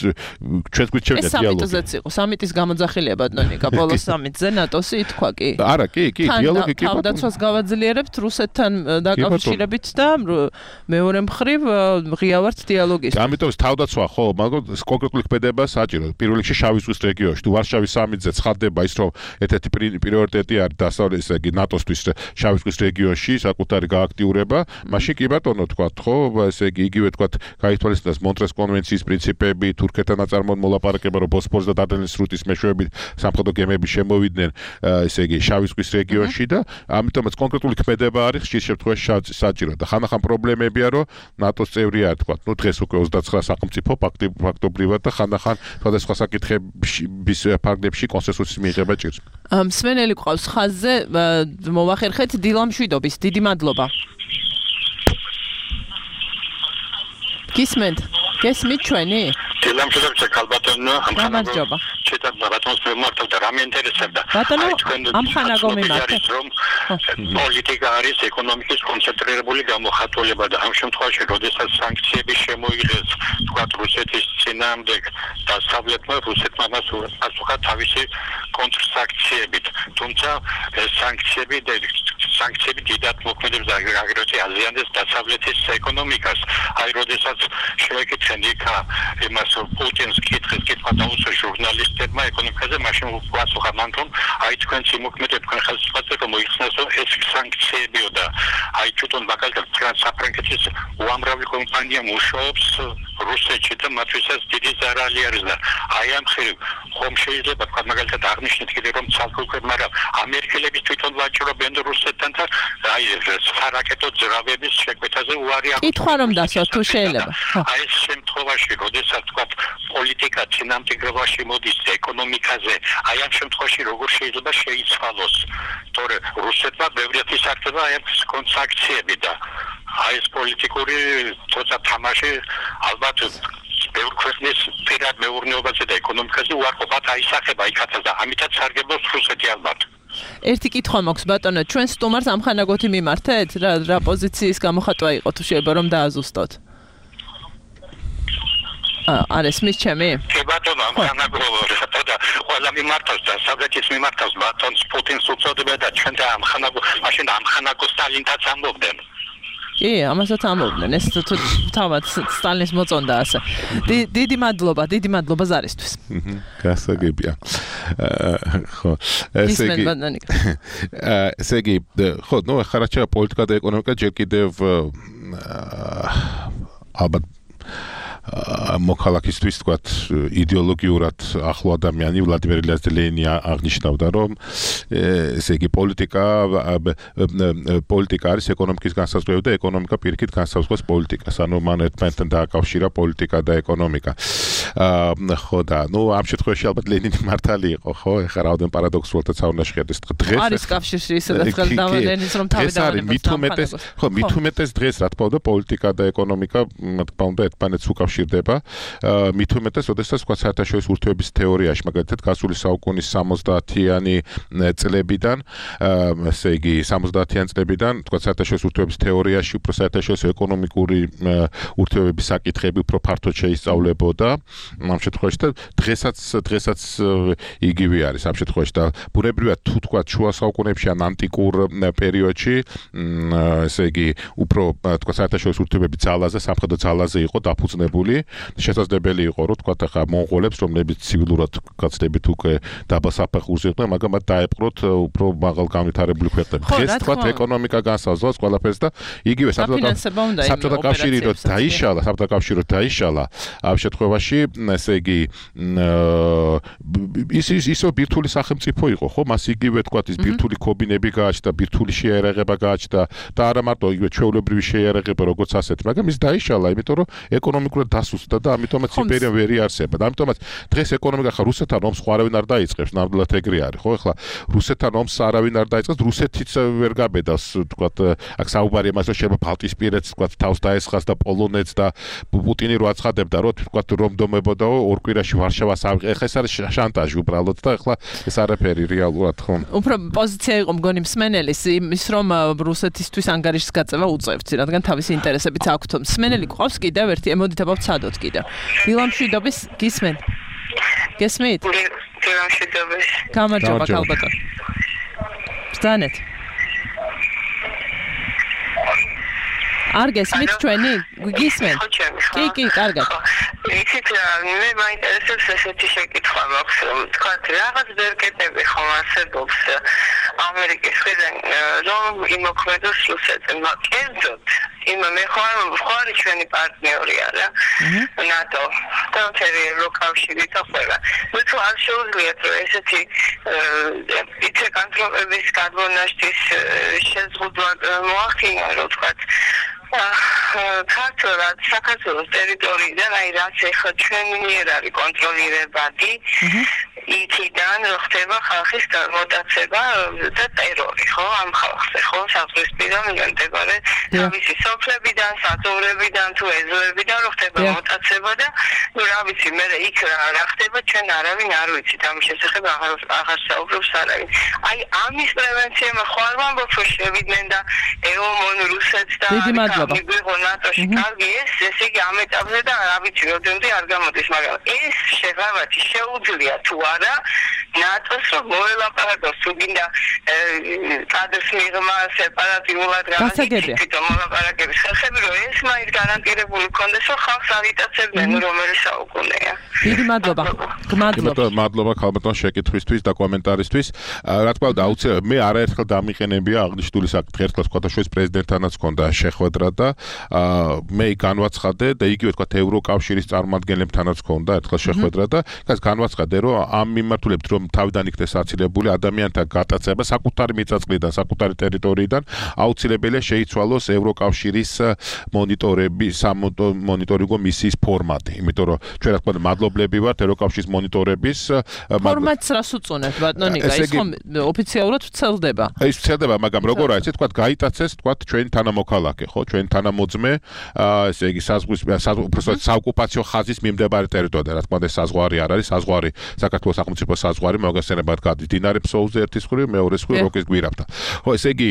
ჩვენს გვით შევიდა დიალოგი სამიტზეც იყო სამიტის გამოძახილია ბატონიკა ბოლოს სამიტზე ნატოსი ითქვა კი არა კი კი დიალოგი კი თავდაცვას გავაძლიერებთ რუსეთთან დაკავშირებით და მეორე მხრივ ღია ვართ დიალოგის ამიტომ თავდაცვა ხო მაგრამ კონკრეტული ქმედება საჭირო პირველ რიგში შავი ზღვის რეგიონში თუ ვარშავის სამიტზე ცხადდება ის რომ ერთ-ერთი პრიორიტეტი არის დასავლეთ ესე იგი ნატოსთვის შავი ზღვის რეგიონში საკუთარი გააქტიურება მაშინ კი ბატონო თქვა ხო ესე იგი იგივე თქვა გაითვალისწინოს მონტრეს კონვენციის პრინციპები თურქეთთან აწარმოებულ მოლაპარაკება რომ ბოსფორს და დარდანელის სრუტის მეშვეობით სამხედრო გემები შემოვიდნენ ესე იგი შავი ზღვის რეგიონში და ამიტომაც კონკრეტული ქმედება არის ხშირ შემთხვევაში საჭირო და ხანახან პრობლემებია რომ ნატოს წევრია თქვა ნუ დღეს უკვე ოცდაცხრა სახელმწიფო ფაქტობრივად და ხანახან სხვადასხვა საკითხების ფარგლებში კონსენსუსის მიღება ჭირს მსმენელი ყავს ხაზზე მოვახერხეთ დილა მშვიდობის დიდი მადლობა გისმენთ გესმით ჩვენი დილა მშვიდობის ქალბატონო გამარჯობა ჩეთა ბატონს მიმართავ და რამე ინტერესებდა ბატონო ამ ხანაგო მიმართ რომ პოლიტიკა არის ეკონომიკის კონცენტრირებული გამოხატულება და ამ შემთხვევაში როდესაც სანქციები შემოიღეს თქვა რუსეთის წინააღმდეგ დასავლეთმა რუსეთმა მას პასუხა თავისი კონტრსანქციებით თუმცა ეს სანქციები და სანქციები დიდად მოქმედებს აგრეთვე აზიანებს დასავლეთის ეკონომიკას აი როდესაც შევეკითხენ იქა იმას პუტინს კითხეს კითხვა დაუსვა ჟურნალისტებმა ეკონომიკაზე მაშინ უპასუხა მან რომ აი თქვენ სიმოქმედებ თქვენ ხელისუფლებაზე რომ მოიხსნას რომ ეს სანქციებიო და აი თვითონ მაგალითად საფრანგეთის უამრავი კომპანია მუშაობს რუსეთში და მათთვისაც დიდი ზარალი არის და აი ამ ხრივ ხომ შეიძლება თქვა მაგალითად აღნიშნეთ კიდე რომ ცალკეულ მაგრამ ამერიკელების თვითონ ვაჭრობენ რუსეთთან და აი სარაკეტო ძრავების შეკვეთაზე უარი აქვს კითხვა რომ დასვა თუ შეიძლება აი ეს შემთხვევაში როდესაც თქვა პოლიტიკა წინამძღვრობაში მოდის ეკონომიკაზე აი ამ შემთხვევაში როგორ შეიძლება შეიცვალოს თორე რუსეთმა ბევრად ისარგებლა აი ამ კონსანქციები და აი ეს პოლიტიკური თორსა თამაში ალბათ ბევრ ქვეყნის პირად მეურნეობაზე და ეკონომიკაზე უარყოფათ აისახება იქაც და ამიტაც სარგებლობს რუსეთი ალბათ ერთი კითხვა მაქვს ბატონო ჩვენ სტუმარს ამხანაგოთი მიმართეთ რა რა პოზიციის გამოხატვა იყო თუ შეიძლება რომ დააზუსტოთ არ ესმის ჩემი? კი ბატონო, ამხანაგო და ყველა მიმართავს და საბჭოის მიმართავს ბატონს პუტინს უწოდებდა და ჩვენ და ამხანაგო მაშინ ამხანაგო სტალინთაც ამბობდნენ. კი, ამასაც ამბობდნენ. ეს თავად სტალინის მოწონდა ასე. დიდი მადლობა, დიდი მადლობა ზარისთვის. გასაგებია. ხო, ესე იგი ესე იგი, ხო, ნუ ახლა რა პოლიტიკა და ეკონომიკა ჯერ კიდევ ალბათ მოქალაქისთვის თქვათ იდეოლოგიურად ახლო ადამიანი ვლადიმერ ილიას ლენინი აღნიშნავდა რომ ესე იგი პოლიტიკა პოლიტიკა არის ეკონომიკის განსაზღვრავი და ეკონომიკა პირიქით განსაზღვრავს პოლიტიკას ანუ მან ერთმანეთთან დააკავშირა პოლიტიკა და ეკონომიკა ხო და ნუ ამ შემთხვევაში ალბათ ლენინი მართალი იყო, ხო? ეხლა რაოდენ პარადოქსულადაც არ უნდა შეხედოს დღეს. არის კავშირში სადაც ხელდავა ლენინს რომ თავი დავანებოს. მით უმეტეს, ხო, მით უმეტეს დღეს რა თქმა უნდა პოლიტიკა და ეკონომიკა რა თქმა უნდა ერთმანეთს უკავშირდება. მით უმეტეს, ოდესაც თქვა საერთაშორისო ურთიერთობების თეორიაში, მაგალითად, გასული საუკუნის სამოცდაათიანი წლებიდან, ესე იგი სამოცდაათიან წლებიდან, თქვა საერთაშორისო ურთიერთობების თეორიაში უფრო საერთაშორისო ეკონომიკური ურთიერთობების საკითხები უფრო ფართოდ შეისწავლებოდა. ამ შემთხვევაში და დღესაც დღესაც იგივე არის ამ შემთხვევაში და ბუნებრივად თუ თქვა შუა საუკუნეებში ან ანტიკურ პერიოდში, ესე იგი უფრო თქვა საერთაშორისო ურთიერთობების ძალაზე, სამხედრო ძალაზე იყო დაფუძნებული. შესაძლებელი იყო რომ თქვა ახლა მონღოლებს, რომლებიც ცივილურად გაცდებით უკვე დაბა საფეხურზე იყვნენ, მაგრამ მათ დაეპყროთ უფრო მაღალ განვითარებული ქვეყნები. დღეს თქვა ეკონომიკა განსაზღვრავს ყველაფერს და იგივე საბჭოთა კავშირი რო დაიშალა, საბჭოთა კავშირი რო დაიშალა, ამ შემთხვევაში ესე იგი ის ის ისო ბირთვული სახელმწიფო იყო, ხო? მას იგივე თქვა ის ბირთვული კობინები გააჩნდა, ბირთვული შეიარაღება გააჩნდა და არა მარტო იგივე ჩვეულებრივი შეიარაღება როგორც ასეთი, მაგრამ ის დაიშალა, იმიტომ რომ ეკონომიკურად დასუსტდა და ამიტომაც იმპერია ვერ იარსება. და ამიტომაც დღეს ეკონომიკა ხა რუსეთთან ომს ხო არავინ არ დაიწყებს, ნამდვილად ეგრე არის, ხო? ეხლა რუსეთთან ომს არავინ არ დაიწყებს, რუსეთიც ვერ გაბედავს, თქვა აქ საუბარი იმას რომ შეიძლება ბალტიისპირეთს თქვა თავს დაესხას და პოლონეთს და პუტინი რო აცხადებდა რომ თქვა რომ დომებოდაო ორ კვირაში ვარშავას ავიღე. ეხლა ეს არის შანტაჟი უბრალოდ და ეხლა ეს არაფერი რეალურად ხო? უფრო პოზიცია იყო მგონი მსმენელის იმის რომ რუსეთისთვის ანგარიშის გაწევა უწევთ, რადგან თავისი ინტერესებიც აქვთ. მსმენელი გვყავს კიდევ ერთი ემოდითება ვცადოთ კიდევ. დილამშვიდობის გისმენ? გესმით? დილამშვიდობის. გამარჯობა ქალბატონ. ბრძანეთ. არ გესმით ჩვენი? გისმენ? კი, კი, კარგად. იცით რა, მე მაინტერესებს ესეთი შეკითხვა მაქვს, რომ თქვა რაღაც ბერკეტები ხომ არსებობს ამერიკის მხრიდან, რომ იმოქმედოს რუსეთზე, კერძოდ იმ მე ხარ ხარ ჩვენი პარტნიორი არა ნატო და მთელი ევროკავშირი და ყველა. მე თუ არ შეუძლიათ რომ ესეთი იცი კონტროლების გადმონაშთის შეზღუდვა მოახდინა, რომ თქვა ქართულად საქართველოს ტერიტორიიდან აი რაც ეხლა ჩვენი მიერ არის კონტროლირებადი იქიდან რო ხდება ხალხის გამოტაცება და ტერორი ხო ამ ხალხზე ხო საზღვრისპირა მიმდებარე თავისი სოფლებიდან საწოვრებიდან თუ ეზოებიდან რო ხდება მოტაცება და ნუ რა ვიცი მე იქ რა ხდება ჩვენ არავინ არ ვიცით ამის შესახებ აღარ აღარ საუბრობს არავინ აი ამის პრევენცია ხარ ვამბობ რომ შევიდნენ და ეომონ რუსეთს და მიგვიღო ნატოში კარგი ეს ესე იგი ამ ეტაპზე და რა ვიცი რამდენიმე არ გამოდის მაგრამ ეს შეღავათი შეუძლია თუ არა ნატოს რომ მოელაპარაკოს თუ გინდა კადრს მიღმა სეპარატიულად გასაგებია მოლაპარაკების ხალხები რომ ეს მაინც გარანტირებული კონდეს რომ ხალხს არიტაცებდნენ რომელი საუკუნეა დიდი მადლობა გმადლობა მადლობა ქალბატონ შეკითხვისთვის და კომენტარისთვის რა თქმა უნდა აუცილებლად მე არაერთხელ დამიყენებია აღნიშნული საკითხი ერთხელ სხვადასხვა პრეზიდენტთანაც ჰქონდა შეხვედრა და მე განვაცხადე და იგივე თქვა ევროკავშირის წარმომადგენლებთანაც ჰქონდა ერთხელ შეხვედრა და ეს განვაცხადე რომ ამ მიმართულებით რომ თავიდან იქნეს აცილებული ადამიანთა გატაცება საკუთარი მიწა-წყლიდან, საკუთარი ტერიტორიიდან აუცილებელია შეიცვალოს ევროკავშირის მონიტორების მონიტორინგო მისიის ფორმატი, იმიტომ რომ ჩვენ რა თქმა უნდა მადლობლები ვართ ევროკავშირის მონიტორების ფორმატს რას უწონებთ ბატონიკა ის ხომ ოფიციალურად ვრცელდება ის ვრცელდება მაგრამ როგორ არის თქვა გაიტაცეს თქვა ჩვენი თანამოქალაქე ხო ჩვენი თანამოძმე ესე იგი საზღვის უბრალოდ საოკუპაციო ხაზის მიმდებარე ტერიტორია რა თქმა უნდა საზღვარი არ არის საზღვარი საქართველოს სახელმწიფო საზღვარი მოგესწრებათ გადის დინარე ფსოუზე ერთის მხრივ მეორეს მხრივ როკის გვირაბთან ხო ესე იგი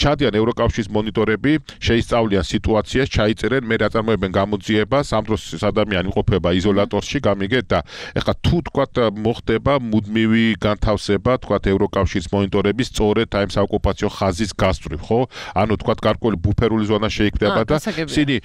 ჩადიან ევროკავშირის მონიტორები შეისწავლიან სიტუაციას ჩაიწერენ მე რაწარმოებენ გამოძიებას ამ დროს ადამიანი იმყოფება იზოლატორში გამიგეთ და ეხლა თუ თქვა მოხდება მუდმივი განთავსება თქვა ევროკავშირის მონიტორების სწორედ აი ამ საოკუპაციო ხაზის გასწვრივ ხო ანუ თქვა გარკვეული ბუფერული ზონა შეიქმნება და ისინი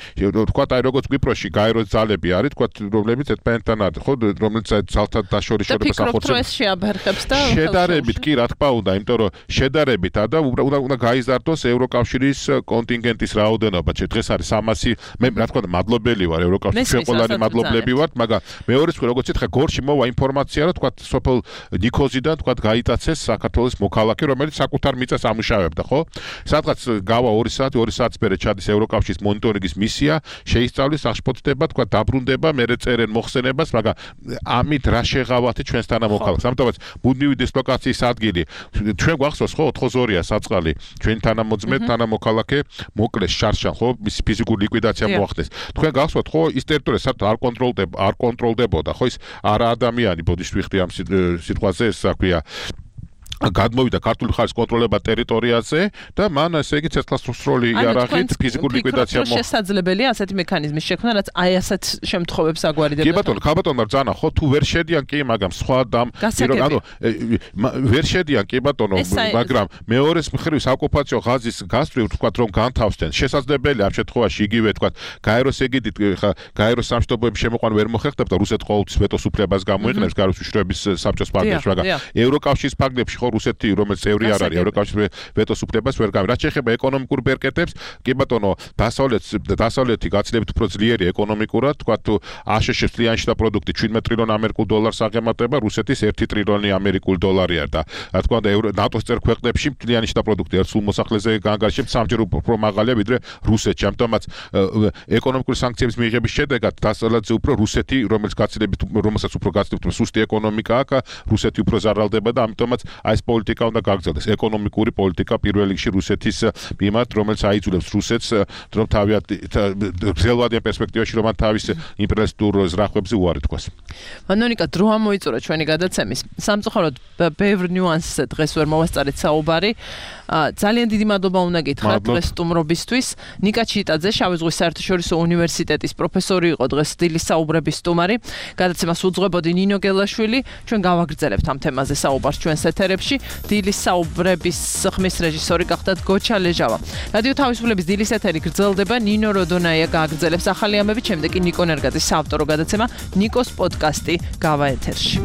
თქვა აი როგორც კვიპროსში გაეროს ძალები არის თქვა რომლებიც ერთმანეთთან არის ხო რომელიც ძალთა დაშორიშებას ახორციელებს შეაბერხებს და შედარებით კი რა თქმა უნდა იმიტომ რომ შედარებით და უნდა უნდა გაიზარდოს ევროკავშირის კონტინგენტის რაოდენობა დღეს არის სამასი მე რა თქმა უნდა მადლობელი ვარ ევროკავშირის ყველანი მადლობლები ვართ მაგრამ მეორე როგორც ითხრა, გორში მოვა ინფორმაცია, რომ თქვა სოფელ ნიქოზიდან თქვა გაიტაცეს საქართველოს მოქალაქე, რომელიც საკუთარ მიწას ამუშავებდა, ხო? სადღაც გავა ორი საათი, ორი საათის მერე ჩადის ევროკავშირის მონიტორინგის მისია, შეისწავლის, აღშფოთდება, თქვა დაბრუნდება, მერე წერენ მოხსენებას, მაგრამ ამით რა შეღავათი ჩვენს თანამოქალაქეს. ამიტომაც მუდმივი დისლოკაციის ადგილი ჩვენ გვახსოვს, ხო, ოთხმოცდაორია საწყალი, ჩვენი თანამოძმე, თანამოქალაქე მოკლეს შარშან, ხო, მისი ფიზიკური ლიკვიდაცია მოახდეს. თქვენ გახსოვთ, ხო, ის ტერიტორია საერთოდ არ კონტროლდება, არ კონტროლდებოდა, ხო, ის არა ადამიანი ბოდიშ ვიხდი ამ სიტყვაზე, ეს საქმეა. გადმოვიდა ქართული ხარის კონტროლება ტერიტორიაზე და მან ესე იგი ცეცხლსროლი იარაღით ფიზიკური ლიკვიდაცია მოხდა. შესაძლებელია ასეთი მექანიზმის შექმნა, რაც აი ასეთ შემთხვევებს აგვარდება. კი ბატონო, ქაბატონმა ბრძანა, ხო, თუ ვერ შედიან კი, მაგრამ სხვა დამ ანუ ვერ შედიან კი ბატონო, მაგრამ მეორეს მხრივ ოკუპაციო ღაზის გასწვრივ თქვა რომ განთავსდნენ. შესაძლებელია ამ შემთხვევაში იგივე თქვა გაეროს ეგიდით ხა გაეროს სამშვიდობოების შემოყვანა ვერ მოხერხდება და რუსეთი ყოველთვის ვეტოს უფლებას გამოიყენებს გაეროს უშუალობის საბჭოს ფარგლებში, მაგრამ ევროკავშირის ფარგლებში რუსეთი რომელიც წევრი არ არის ევროკავშირის ვეტოს უფლებას ვერ გამი. რაც შეეხება ეკონომიკურ ბერკეტებს, კი ბატონო, დასავლეთს დასავლეთი გაცილებით უფრო ძლიერი ეკონომიკურად, თქვა თუ აშშ-ს წლიანი შიდა პროდუქტი შვიდმეტ ტრილიონ ამერიკულ დოლარს აღემატება, რუსეთის ერთი ტრილიონი ამერიკული დოლარია და რა თქმა უნდა ნატოს წევრ ქვეყნებში წლიანი შიდა პროდუქტი ერთ სულ მოსახლეზე განგარიშებს სამჯერ უფრო მაღალია ვიდრე რუსეთში. ამიტომაც ეკონომიკური სანქციების მიღების შედეგად დასავლეთზე უფრო რუსეთი, რომელიც გაცილებით რომელსაც უფრო გაცილებით სუსტი ეკონომიკა აქვს, რუსეთი უფრო ზარალდება და ამიტომაც ეს პოლიტიკა უნდა გაგრძელდეს, ეკონომიკური პოლიტიკა პირველ რიგში რუსეთის მიმართ, რომელიც აიძულებს რუსეთს, რომ თავიანთ გრძელვადიან პერსპექტივაში რომ თავის იმპერიალისტურ ზრახვებზე უარი თქვას. მანონიკა, დრო ამოიწურა ჩვენი გადაცემის. სამწუხაროდ ბევრ ნიუანსზე დღეს ვერ მოვასწარეთ საუბარი. ძალიან დიდი მადლობა უნდა გითხრათ დღეს სტუმრობისთვის. ნიკა ჩიტაძე, შავი ზღვის საერთაშორისო უნივერსიტეტის პროფესორი იყო დღეს დილის საუბრების სტუმარი. გადაცემას უძღვებოდი ნინო გელაშვილი. ჩვენ გავაგრძელებთ ამ თემაზე საუბარს ჩვენს ეთერებში. დილის საუბრების ხმის რეჟისორი გახდათ გოჩა ლეჟავა. რადიო თავისუფლების დილის ეთერი გრძელდება, ნინო როდონაია გააგრძელებს ახალი ამბებით, შემდეგ კი ნიკო ნერგაძის საავტორო გადაცემა ნიკოს პოდკასტი გავა ეთერში.